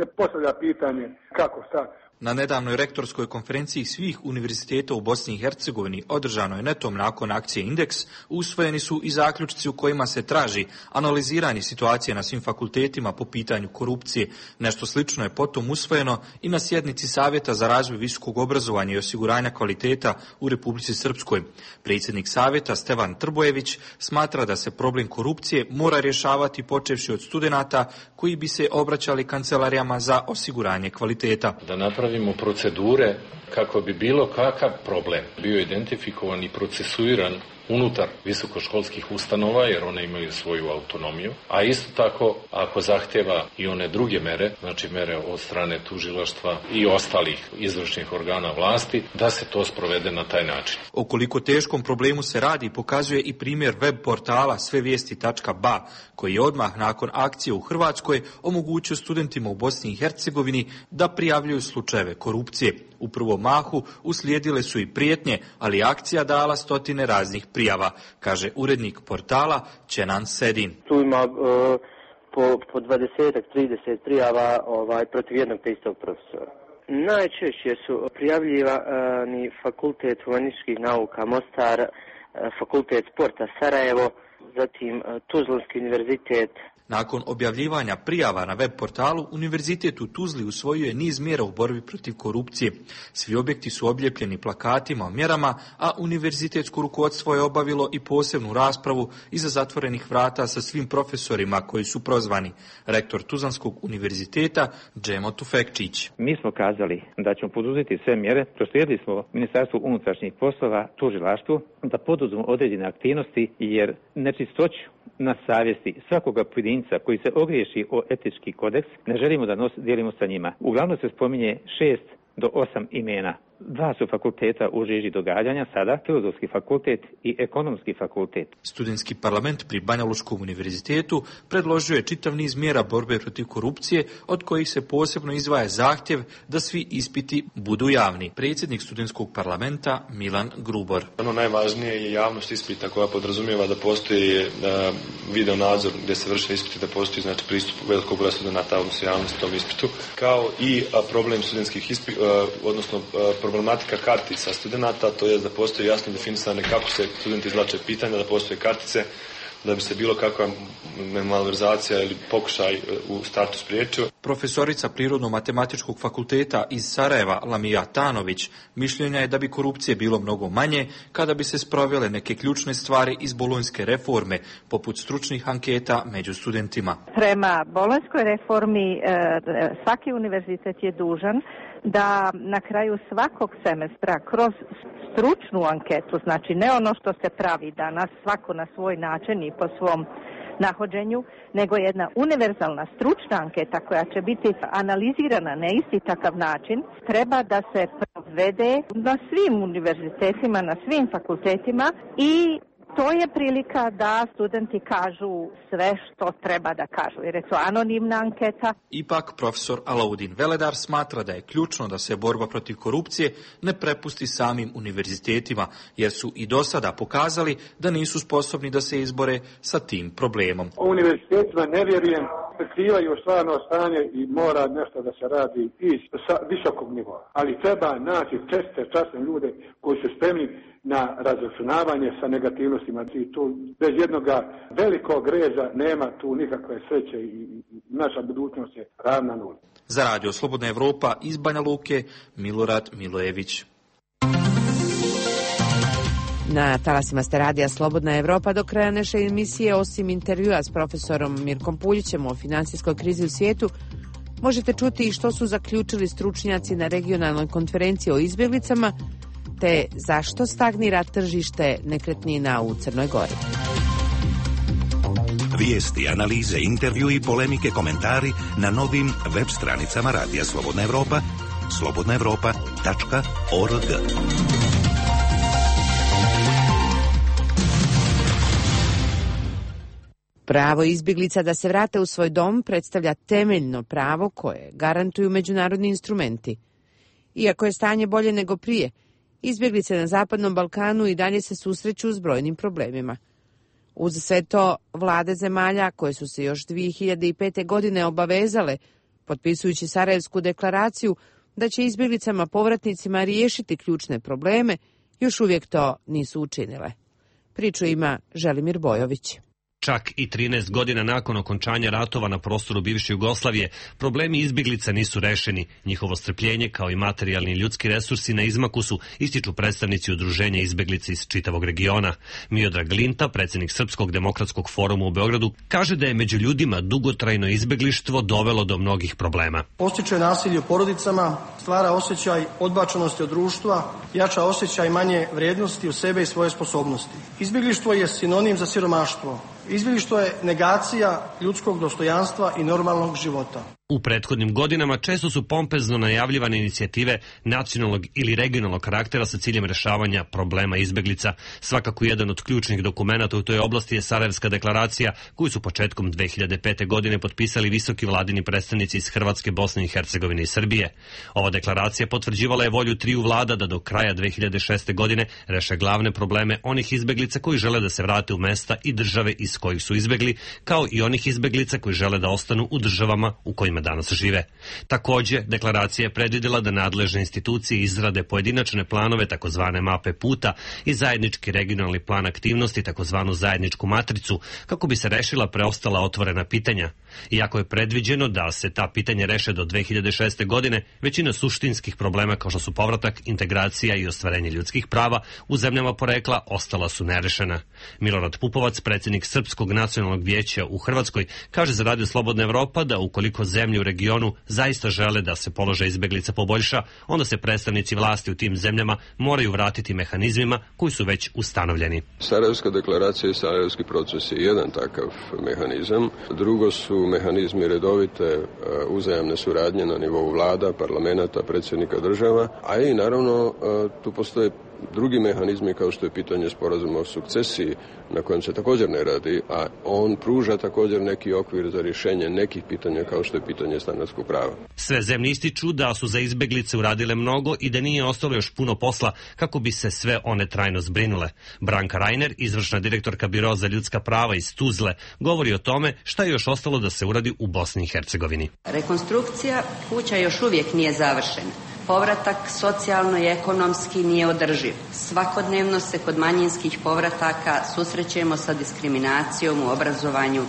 ne postavlja pitanje kako, šta. Na nedavnoj rektorskoj konferenciji svih univerziteta u Bosni i Hercegovini, održanoj netom nakon akcije Indeks, usvojeni su i zaključci u kojima se traži analiziranje situacije na svim fakultetima po pitanju korupcije. Nešto slično je potom usvojeno i na sjednici Savjeta za razvoj visokog obrazovanja i osiguranja kvaliteta u Republici Srpskoj. Predsjednik Savjeta Stevan Trbojević smatra da se problem korupcije mora rješavati počevši od studenata koji bi se obraćali kancelarijama za osiguranje kvaliteta. Da napravimo procedure kako bi bilo kakav problem bio identifikovan i procesuiran unutar visokoškolskih ustanova, jer one imaju svoju autonomiju, a isto tako ako zahtjeva i one druge mere, znači mere od strane tužilaštva i ostalih izvršnih organa vlasti, da se to sprovede na taj način. O koliko teškom problemu se radi pokazuje i primjer web portala svevijesti.ba, koji je odmah nakon akcije u Hrvatskoj omogućio studentima u Bosni i Hercegovini da prijavljuju slučajeve korupcije. U prvom mahu uslijedile su i prijetnje, ali akcija dala stotine raznih prijava, kaže urednik portala Čenan Sedin. Tu ima po 20-30 prijava protiv jednog te istog profesora. Najčešće su prijavljivani Fakultet humanističkih nauka Mostar, Fakultet sporta Sarajevo, zatim Tuzlanski univerzitet. Nakon objavljivanja prijava na web portalu, Univerzitet u Tuzli usvojio je niz mjera u borbi protiv korupcije. Svi objekti su oblijepljeni plakatima o mjerama, a univerzitetsko rukovodstvo je obavilo i posebnu raspravu iza zatvorenih vrata sa svim profesorima koji su prozvani. Rektor Tuzlanskog univerziteta Džemo Tufekčić. Mi smo kazali da ćemo poduzeti sve mjere, proslijedili smo Ministarstvu unutrašnjih poslova, tužilaštvu, da poduzmu određene aktivnosti, jer nečistoću na savjesti svakoga pojedinca koji se ogriješi o etički kodeks ne želimo da dijelimo sa njima. Uglavnom se spominje 6 do 8 imena Dva su fakulteta u žiži događanja sada, Filozofski fakultet i Ekonomski fakultet. Studentski parlament pri Banja Lučkom univerzitetu predložio je čitav niz mjera borbe protiv korupcije, od kojih se posebno izdvaja zahtjev da svi ispiti budu javni. Predsjednik studentskog parlamenta Milan Grubor. Ono najvažnije je javnost ispita koja podrazumijeva da postoji video nadzor gdje se vrše ispiti, da postoji znači pristup velikog broja studenata, odnosno javnosti tom ispitu, kao i problem studentskih odnosno problematika kartica studenata, to je da postoji jasno definisane kako se studenti izvlače pitanja, da postoje kartice, da bi se bilo kakva malverzacija ili pokušaj u startu spriječio. Profesorica Prirodno-matematičkog fakulteta iz Sarajeva, Lamija Tanović, mišljenja je da bi korupcije bilo mnogo manje kada bi se sprovele neke ključne stvari iz bolonjske reforme, poput stručnih anketa među studentima. Prema bolonjskoj reformi svaki univerzitet je dužan da na kraju svakog semestra kroz stručnu anketu, znači ne ono što se pravi danas, svako na svoj način i po svom nahođenju, nego jedna univerzalna stručna anketa koja će biti analizirana na isti takav način, treba da se provede na svim univerzitetima, na svim fakultetima i to je prilika da studenti kažu sve što treba da kažu, jer je to anonimna anketa. Ipak, profesor Alaudin Veledar smatra da je ključno da se borba protiv korupcije ne prepusti samim univerzitetima, jer su i do sada pokazali da nisu sposobni da se izbore sa tim problemom. O univerzitetima ne vjerujem, prikrivaju stvarno stanje i mora nešto da se radi i sa visokog nivoa. Ali treba naći časne ljude koji su spremni na razračunavanje sa negativnostima. I tu bez jednoga velikog reza nema tu nikakve sreće i naša budućnost je ravna nula. Za Radio Slobodna Evropa iz Banja Luke, Milorad Milojević. Na talasima ste Radija Slobodna Evropa. Do kraja naše emisije, osim intervjua s profesorom Mirkom Puljićem o finansijskoj krizi u svijetu, možete čuti i što su zaključili stručnjaci na regionalnoj konferenciji o izbjeglicama, te zašto stagnira tržište nekretnina u Crnoj Gori. Vijesti, analize, intervju i polemike, komentari na novim web stranicama Radija Slobodna Evropa, slobodnaevropa.org. Pravo izbjeglica da se vrate u svoj dom predstavlja temeljno pravo koje garantuju međunarodni instrumenti. Iako je stanje bolje nego prije, izbjeglice na Zapadnom Balkanu i dalje se susreću s brojnim problemima. Uz sve to, vlade zemalja koje su se još 2005. godine obavezale, potpisujući Sarajevsku deklaraciju, da će izbjeglicama povratnicima riješiti ključne probleme, još uvijek to nisu učinile. Priču ima Želimir Bojović. Čak i 13 godina nakon okončanja ratova na prostoru bivše Jugoslavije, problemi izbjeglica nisu rešeni. Njihovo strpljenje, kao i materijalni i ljudski resursi na izmaku su, ističu predstavnici udruženja izbjeglica iz čitavog regiona. Miodrag Linta, predsjednik Srpskog demokratskog foruma u Beogradu, kaže da je među ljudima dugotrajno izbjeglištvo dovelo do mnogih problema. Postiče nasilje u porodicama, stvara osjećaj odbačenosti od društva, jača osjećaj manje vrijednosti u sebe i svoje sposobnosti. Izbjeglištvo je sinonim za siromaštvo. Izbjeglištvo je negacija ljudskog dostojanstva i normalnog života. U prethodnim godinama često su pompezno najavljivane inicijative nacionalnog ili regionalnog karaktera sa ciljem rešavanja problema izbjeglica. Svakako jedan od ključnih dokumenata u toj oblasti je Sarajevska deklaracija, koju su početkom 2005. godine potpisali visoki vladini predstavnici iz Hrvatske, Bosne i Hercegovine i Srbije. Ova deklaracija potvrđivala je volju triju vlada da do kraja 2006. godine reše glavne probleme onih izbjeglica koji žele da se vrate u mesta i države iz kojih su izbjegli, kao i onih izbjeglica koji žele da ostanu u državama u kojima danas žive. Također, deklaracija je predvidjela da nadležne institucije izrade pojedinačne planove, takozvane mape puta, i zajednički regionalni plan aktivnosti, takozvanu zajedničku matricu, kako bi se rešila preostala otvorena pitanja. Iako je predviđeno da se ta pitanja reše do 2006. godine, većina suštinskih problema kao što su povratak, integracija i ostvarenje ljudskih prava u zemljama porekla ostala su nerešena. Milorad Pupovac, predsjednik Srpske Srpskog nacionalnog vijeća u Hrvatskoj, kaže za Radio Slobodna Evropa da ukoliko zemlje u regionu zaista žele da se položaj izbeglica poboljša, onda se predstavnici vlasti u tim zemljama moraju vratiti mehanizmima koji su već ustanovljeni. Sarajevska deklaracija i sarajevski proces je jedan takav mehanizam. Drugo su mehanizmi redovite uzajamne suradnje na nivou vlada, parlamenta, predsjednika država, a i naravno tu postoje drugi mehanizmi kao što je pitanje sporazuma o sukcesiji na kojem se također ne radi, a on pruža također neki okvir za rješenje nekih pitanja kao što je pitanje stanarskog prava. Sve zemlje ističu da su za izbeglice uradile mnogo i da nije ostalo još puno posla kako bi se sve one trajno zbrinule. Branka Rajner, izvršna direktorka Biroa za ljudska prava iz Tuzle, govori o tome šta je još ostalo da se uradi u Bosni i Hercegovini. Rekonstrukcija kuća još uvijek nije završena. Povratak socijalno i ekonomski nije održiv. Svakodnevno se kod manjinskih povrataka susrećemo sa diskriminacijom u obrazovanju,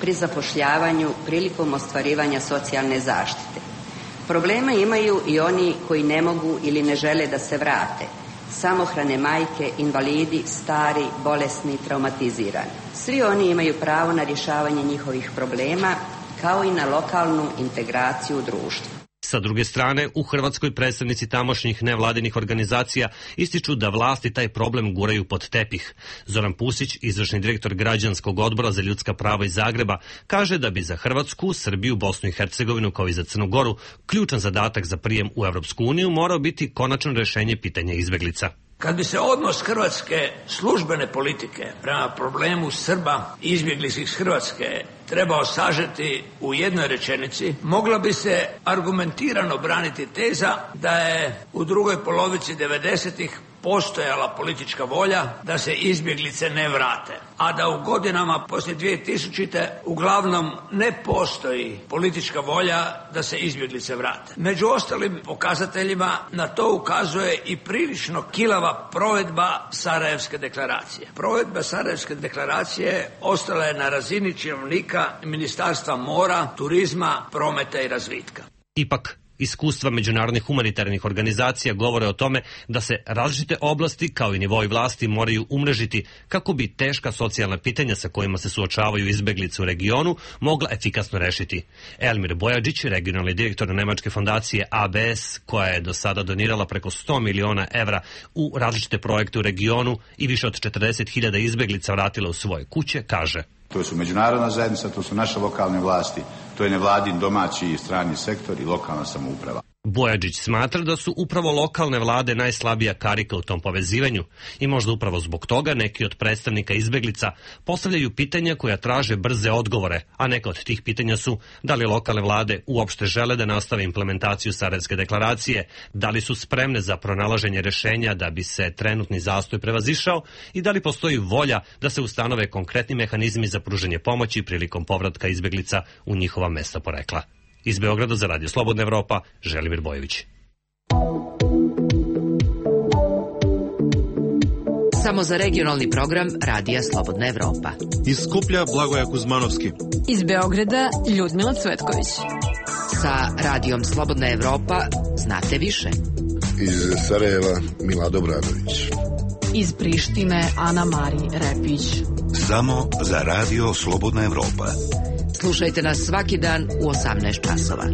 pri zapošljavanju, prilikom ostvarivanja socijalne zaštite. Probleme imaju i oni koji ne mogu ili ne žele da se vrate. Samohrane majke, invalidi, stari, bolesni, traumatizirani. Svi oni imaju pravo na rješavanje njihovih problema, kao i na lokalnu integraciju u društvu. Sa druge strane, u Hrvatskoj predstavnici tamošnjih nevladinih organizacija ističu da vlasti taj problem guraju pod tepih. Zoran Pusić, izvršni direktor Građanskog odbora za ljudska prava iz Zagreba, kaže da bi za Hrvatsku, Srbiju, Bosnu i Hercegovinu kao i za Crnu Goru ključan zadatak za prijem u Europsku uniju morao biti konačno rješenje pitanja izbeglica. Kad bi se odnos hrvatske službene politike prema problemu Srba i izbjeglica iz Hrvatske trebao sažeti u jednoj rečenici, mogla bi se argumentirano braniti teza da je u drugoj polovici 90-ih postojala politička volja da se izbjeglice ne vrate, a da u godinama poslije 2000. uglavnom ne postoji politička volja da se izbjeglice vrate. Među ostalim pokazateljima na to ukazuje i prilično kilava provedba Sarajevske deklaracije. Provedba Sarajevske deklaracije ostala je na razini činovnika Ministarstva mora, turizma, prometa i razvitka. Ipak, iskustva međunarodnih humanitarnih organizacija govore o tome da se različite oblasti kao i nivoi vlasti moraju umrežiti kako bi teška socijalna pitanja sa kojima se suočavaju izbeglice u regionu mogla efikasno rešiti. Elmir Bojadžić, regionalni direktor nemačke fondacije ABS, koja je do sada donirala preko 100 miliona evra u različite projekte u regionu i više od 40.000 izbeglica vratila u svoje kuće, kaže: To su međunarodna zajednica, to su naše lokalne vlasti, to je nevladin domaći i strani sektor i lokalna samouprava. Bojadžić smatra da su upravo lokalne vlade najslabija karika u tom povezivanju i možda upravo zbog toga neki od predstavnika izbeglica postavljaju pitanja koja traže brze odgovore, a neka od tih pitanja su da li lokalne vlade uopšte žele da nastave implementaciju Sarajevske deklaracije, da li su spremne za pronalaženje rešenja da bi se trenutni zastoj prevazišao i da li postoji volja da se ustanove konkretni mehanizmi za pružanje pomoći prilikom povratka izbeglica u njihova mesta porekla. Iz Beograda za Radio Slobodna Evropa, Želimir Bojović. Samo za regionalni program Radija Slobodna Evropa. Iz Skuplja Blagoja Kuzmanovski. Iz Beograda Ljudmila Cvetković. Sa Radijom Slobodna Evropa znate više. Iz Sarajeva Milado Bradović. Iz Prištine Ana Mari Repić. Samo za Radio Slobodna Evropa. Slušajte nas svaki dan u 18 časova.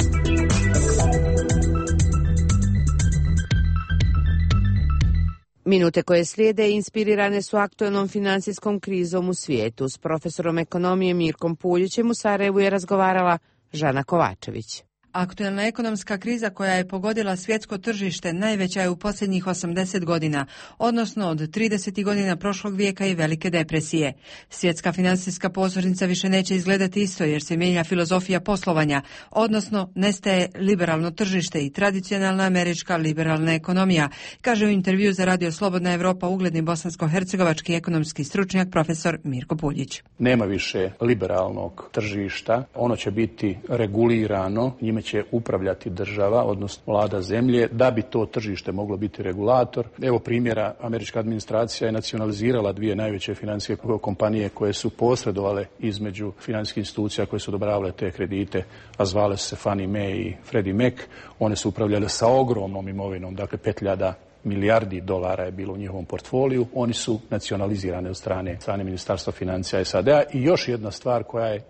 Minute koje slijede inspirirane su aktuelnom financijskom krizom u svijetu. S profesorom ekonomije Mirkom Puljićem u Sarajevu je razgovarala Žana Kovačević. Aktuelna ekonomska kriza koja je pogodila svjetsko tržište najveća je u posljednjih 80 godina, odnosno od 30. godina prošlog vijeka i velike depresije. Svjetska financijska pozornica više neće izgledati isto jer se mijenja filozofija poslovanja, odnosno nestaje liberalno tržište i tradicionalna američka liberalna ekonomija, kaže u intervju za Radio Slobodna Evropa ugledni bosansko-hercegovački ekonomski stručnjak profesor Mirko Puljić. Nema više liberalnog tržišta, ono će biti regulirano, njime će upravljati država, odnosno vlada zemlje, da bi to tržište moglo biti regulator. Evo primjera, američka administracija je nacionalizirala dvije najveće financijske kompanije koje su posredovale između financijskih institucija koje su odobravale te kredite, a zvale se Fannie Mae i Freddie Mac. One su upravljale sa ogromnom imovinom, dakle 5.000 milijardi dolara je bilo u njihovom portfoliju. Oni su nacionalizirane od strane Ministarstva financija SAD-a. I još jedna stvar koja je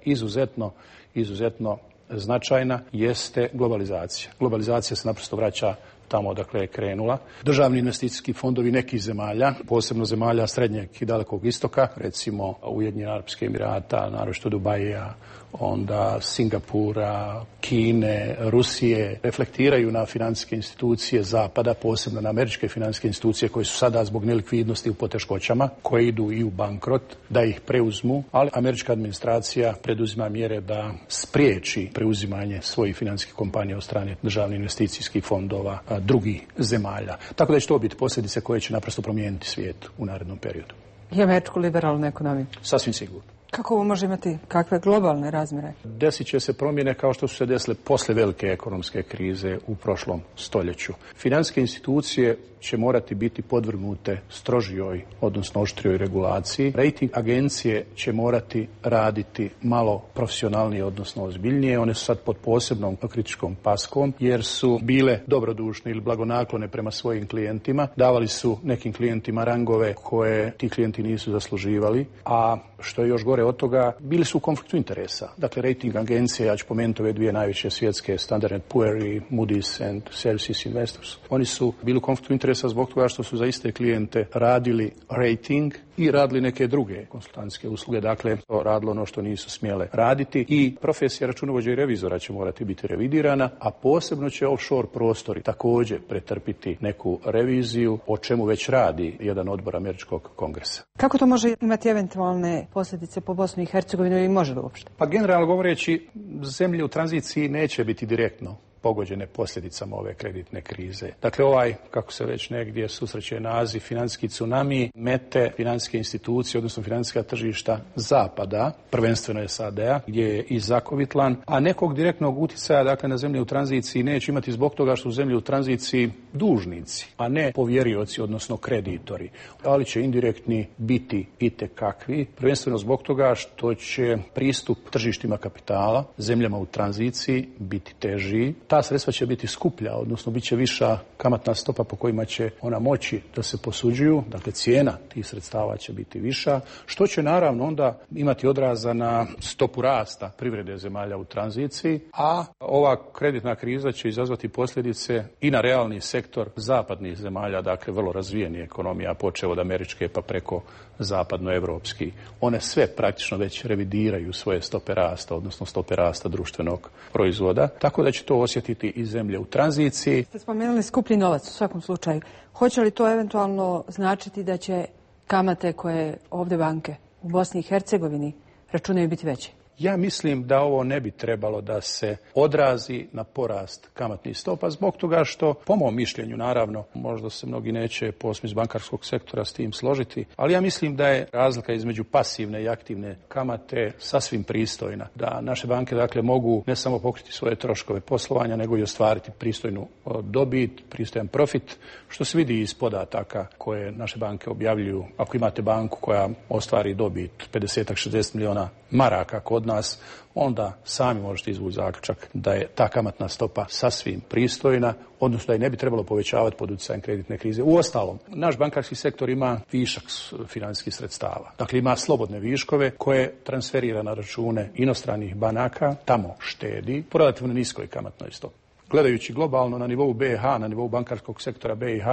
izuzetno značajna jeste globalizacija. Globalizacija se naprosto vraća tamo odakle je krenula. Državni investicijski fondovi nekih zemalja, posebno zemalja srednjeg i dalekog istoka, recimo Ujedinjenih Arapskih Emirata, naročito Dubaija, onda Singapura, Kine, Rusije, reflektiraju na financijske institucije Zapada, posebno na američke financijske institucije koje su sada zbog nelikvidnosti u poteškoćama, koje idu i u bankrot, da ih preuzmu, ali američka administracija preduzima mjere da spriječi preuzimanje svojih financijskih kompanija od strane državnih investicijskih fondova drugih zemalja. Tako da će to biti posljedice koje će naprosto promijeniti svijet u narednom periodu. I američku liberalnu ekonomiju? Sasvim sigurno. Kako ovo može imati kakve globalne razmjere? Desit će se promjene kao što su se desile posle velike ekonomske krize u prošlom stoljeću. Financijske institucije će morati biti podvrgnute strožijoj, odnosno oštrijoj regulaciji. Rating agencije će morati raditi malo profesionalnije, odnosno ozbiljnije. One su sad pod posebnom kritičkom paskom jer su bile dobrodušne ili blagonaklone prema svojim klijentima. Davali su nekim klijentima rangove koje ti klijenti nisu zasluživali, a što je još gore od toga, bili su u konfliktu interesa. Dakle, rating agencije, ja ću pomenuti ove dvije najveće svjetske, Standard & Poor i Moody's and Services Investors. Oni su bili u konfliktu interesa zbog toga što su za iste klijente radili rating i radili neke druge konsultantske usluge. Dakle, radilo ono što nisu smjele raditi i profesija računovođa i revizora će morati biti revidirana, a posebno će offshore prostori također pretrpiti neku reviziju, o čemu već radi jedan odbor američkog kongresa. Kako to može imati eventualne posljedice po Bosnu i Hercegovinu ili može li uopšte? Pa generalno govoreći, zemlje u tranziciji neće biti direktno pogođene posljedicama ove kreditne krize. Dakle, kako se već negdje susreće naziv, financijski tsunami, mete financijske institucije, odnosno financijska tržišta Zapada, prvenstveno SAD-a, gdje je i zakovitlan, a nekog direktnog utjecaja, dakle, na zemlje u tranziciji neće imati zbog toga što su zemlje u tranziciji dužnici, a ne povjerioci, odnosno kreditori. Ali će indirektni biti itekakvi, prvenstveno zbog toga što će pristup tržištima kapitala zemljama u tranziciji biti teži. Ta sredstva će biti skuplja, odnosno bit će viša kamatna stopa po kojima će ona moći da se posuđuju, dakle cijena tih sredstava će biti viša, što će naravno onda imati odraza na stopu rasta privrede zemalja u tranziciji, a ova kreditna kriza će izazvati posljedice i na realni sektor zapadnih zemalja, dakle vrlo razvijeni ekonomija, počev od američke pa preko zapadnoevropski. One sve praktično već revidiraju svoje stope rasta, odnosno stope rasta društvenog proizvoda, tako da će to osjetiti i zemlje u tranziciji. Ste spomenuli skuplji novac u svakom slučaju. Hoće li to eventualno značiti da će kamate koje ovdje banke u Bosni i Hercegovini računaju biti veće? Ja mislim da ovo ne bi trebalo da se odrazi na porast kamatnih stopa zbog toga što, po mom mišljenju naravno, možda se mnogi neće posebno iz bankarskog sektora s tim složiti, ali ja mislim da je razlika između pasivne i aktivne kamate sasvim pristojna. Da naše banke dakle mogu ne samo pokriti svoje troškove poslovanja, nego i ostvariti pristojnu dobit, pristojan profit, što se vidi iz podataka koje naše banke objavljuju. Ako imate banku koja ostvari dobit 50-60 milijuna maraka kod nas, onda sami možete izvući zaključak da je ta kamatna stopa sasvim pristojna, odnosno da je ne bi trebalo povećavati pod utjecajem kreditne krize. Uostalom, naš bankarski sektor ima višak financijskih sredstava. Dakle, ima slobodne viškove koje transferira na račune inostranih banaka, tamo štedi po relativno niskoj kamatnoj stopi. Gledajući globalno na nivou BiH, na nivou bankarskog sektora BiH,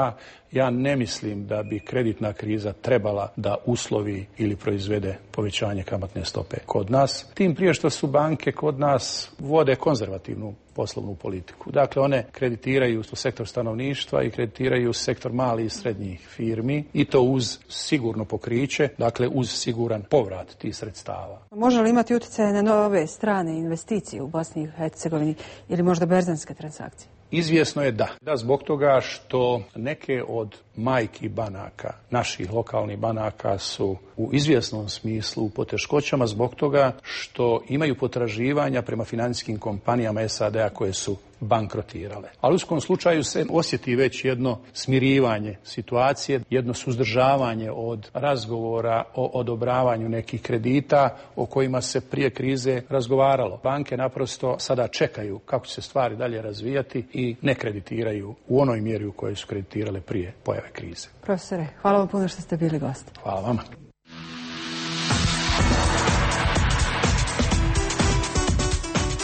ja ne mislim da bi kreditna kriza trebala da uslovi ili proizvede povećanje kamatne stope kod nas. Tim prije što su banke kod nas vode konzervativnu poslovnu politiku. Dakle, one kreditiraju sektor stanovništva i kreditiraju sektor malih i srednjih firmi i to uz sigurno pokriće, dakle uz siguran povrat tih sredstava. Može li imati utjecaje na nove strane investicije u Bosni i Hercegovini ili možda berzanske transakcije? Izvjesno je da. Da, zbog toga što neke od majki banaka, naših lokalnih banaka, su u izvjesnom smislu u poteškoćama zbog toga što imaju potraživanja prema financijskim kompanijama SAD-a koje su bankrotirale. Ali u svakom slučaju se osjeti već jedno smirivanje situacije, jedno suzdržavanje od razgovora o odobravanju nekih kredita o kojima se prije krize razgovaralo. Banke naprosto sada čekaju kako će se stvari dalje razvijati i ne kreditiraju u onoj mjeri u kojoj su kreditirale prije pojave krize. Profesore, hvala vam puno što ste bili gost. Hvala vama.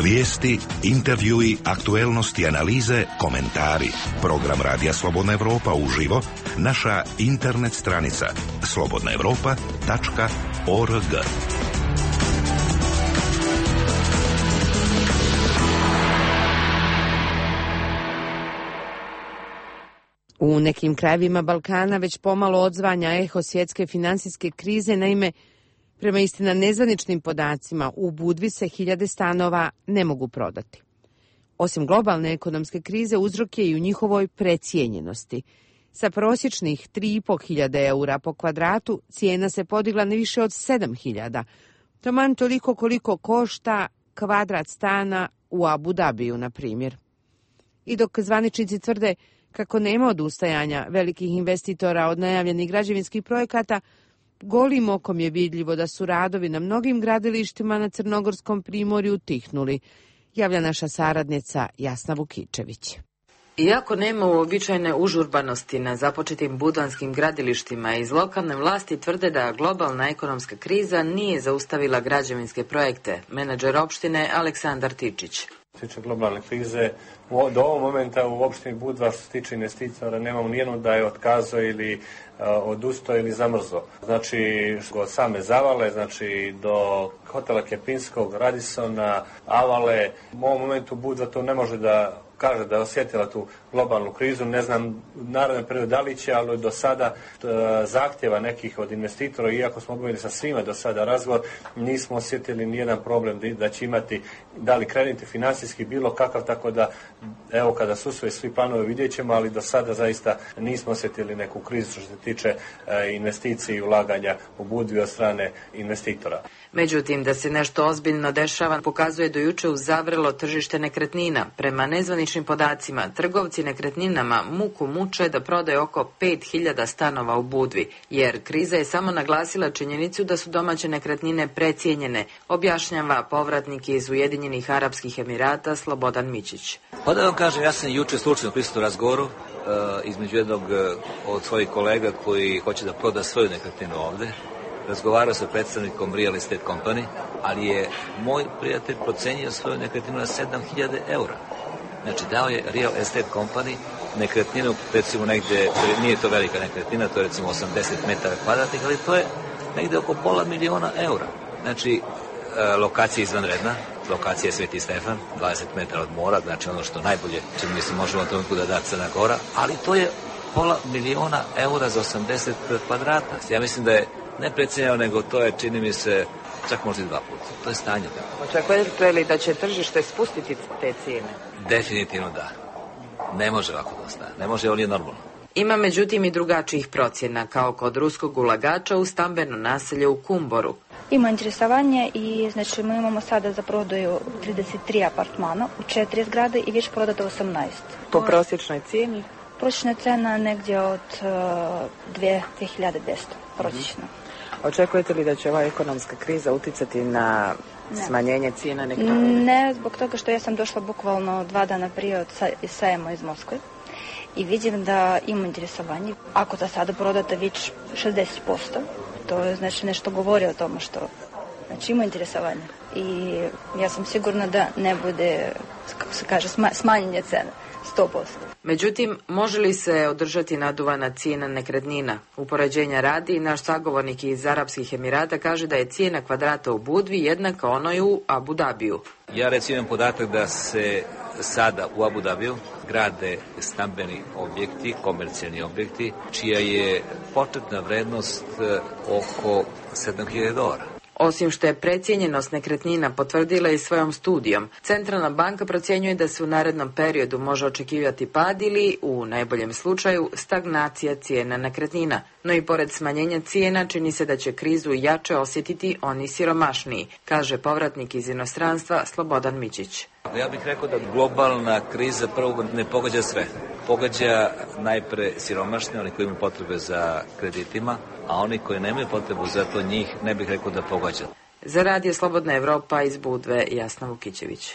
Vijesti, intervjui, aktuelnosti, analize, komentari. Program Radija Slobodna Evropa uživo, naša internet stranica slobodnaevropa.org. U nekim krajevima Balkana već pomalo odzvanja eho svjetske finansijske krize, naime, prema istina nezvaničnim podacima, u Budvi se 1000 stanova ne mogu prodati. Osim globalne ekonomske krize, uzrok je i u njihovoj precijenjenosti. Sa prosječnih 3.500 eura po kvadratu cijena se podigla na više od 7.000. Taman toliko koliko košta kvadrat stana u Abu Dabiju, na primjer. I dok zvaničnici tvrde kako nema odustajanja velikih investitora od najavljenih građevinskih projekata, golim okom je vidljivo da su radovi na mnogim gradilištima na Crnogorskom primorju utihnuli, javlja naša saradnica Jasna Vukičević. Iako nema uobičajene užurbanosti na započetim budvanskim gradilištima, iz lokalne vlasti tvrde da globalna ekonomska kriza nije zaustavila građevinske projekte. Menadžer opštine Aleksandar Tičić. Što se tiče globalne krize, do ovog momenta u opštini Budva što se tiče investitora nemamo nijednu da je otkazao ili odustao ili zamrzao. Znači, od same Zavale, znači do hotela Kempinskog, Radissona, Avale, u ovom momentu Budva to ne može da kaže da je osjetila tu globalnu krizu. Ne znam naravno period da li će, ali do sada zahtjeva nekih od investitora, iako smo obavili sa svima do sada razgovor, nismo osjetili nijedan problem da će imati, da li krediti financijski bilo kakav, tako da evo kada su sve svi planovi vidjet ćemo, ali do sada zaista nismo osjetili neku krizu što se tiče investiciji i ulaganja u Budvi od strane investitora. Međutim, da se nešto ozbiljno dešava pokazuje do juče uzavrelo tržište nekretnina. Prema nezvaničnim podacima, trgovci nekretninama muku muče da prodaju oko 5.000 stanova u Budvi, jer kriza je samo naglasila činjenicu da su domaće nekretnine precijenjene, objašnjava povratnik iz Ujedinjenih Arapskih Emirata Slobodan Mićić. Pa da vam kažem, ja sam juče slučajno prisutovao razgovoru između jednog od svojih kolega koji hoće da proda svoju nekretninu ovde. Razgovarao sa predstavnikom Real Estate Company, ali je moj prijatelj procenio svoju nekretninu na 7.000 eura. Znači, dao je Real Estate Company nekretninu, recimo negde, nije to velika nekretnina, to je recimo 80 metara kvadratnih, ali to je negde oko $500.000 eura. Znači, lokacija je izvanredna, lokacija je Sveti Stefan, 20 metara od mora, znači ono što najbolje, čini mi se, možemo na tomu da da Crna Gora, ali to je $500.000 eura za 80 kvadrata. Ja mislim da je ne precijenjeno, nego to je, čini mi se, čak možda i 2 puta. To je stanje. Očekujete li da će tržište spustiti te cijene? Definitivno da. Ne može ovako da ostane. Ne može, ovo nije normalno. Ima međutim i drugačijih procjena, kao kod ruskog ulagača u stambeno naselje u Kumboru. Ima interesovanje i znači mi imamo sada za prodaju 33 apartmana u 4 zgrade i već prodato 18. Po prosječnoj cijeni? Prosječna cena negdje od 2.200 prosječno. Očekujete li da će ova ekonomska kriza uticati na smanjenje cijena nekretnina? Ne, zbog toga što ja sam došla bukvalno 2 dana prije iz sajma iz Moskve i vidim da ima interesovanje. Ako da sada prodate već 60%, to je znači nešto govori o tome što znači ima interesovanje. I ja sam sigurna da ne bude, kako se kaže, smanjenje cene. 100%. Međutim, može li se održati naduvana cijena nekretnina? Upoređenja radi, naš sagovornik iz Arapskih Emirata kaže da je cijena kvadrata u Budvi jednaka onoj u Abu Dabiju. Ja recimo imam podatak da se sada u Abu Dabiju grade stambeni objekti, komercijalni objekti, čija je početna vrednost oko $7.000. Osim što je precijenjenost nekretnina potvrdila i svojom studijom, Centralna banka procjenjuje da se u narednom periodu može očekivati pad ili, u najboljem slučaju, stagnacija cijena nekretnina. No i pored smanjenja cijena čini se da će krizu jače osjetiti oni siromašniji, kaže povratnik iz inostranstva Slobodan Mićić. Ja bih rekao da globalna kriza prvo ne pogađa sve. Pogađa najpre siromašne, oni koji imaju potrebe za kreditima, a oni koji nemaju potrebu za to, njih ne bih rekao da pogađa. Za Radio Slobodna Evropa iz Budve, Jasna Vukićević.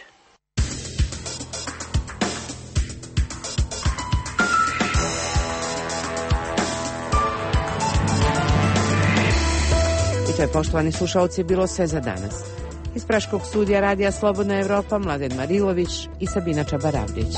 I to je, poštovani slušalci, bilo sve za danas. Iz Praškog studija Radija Slobodna Evropa Mladen Marilović i Sabina Čabaravljić.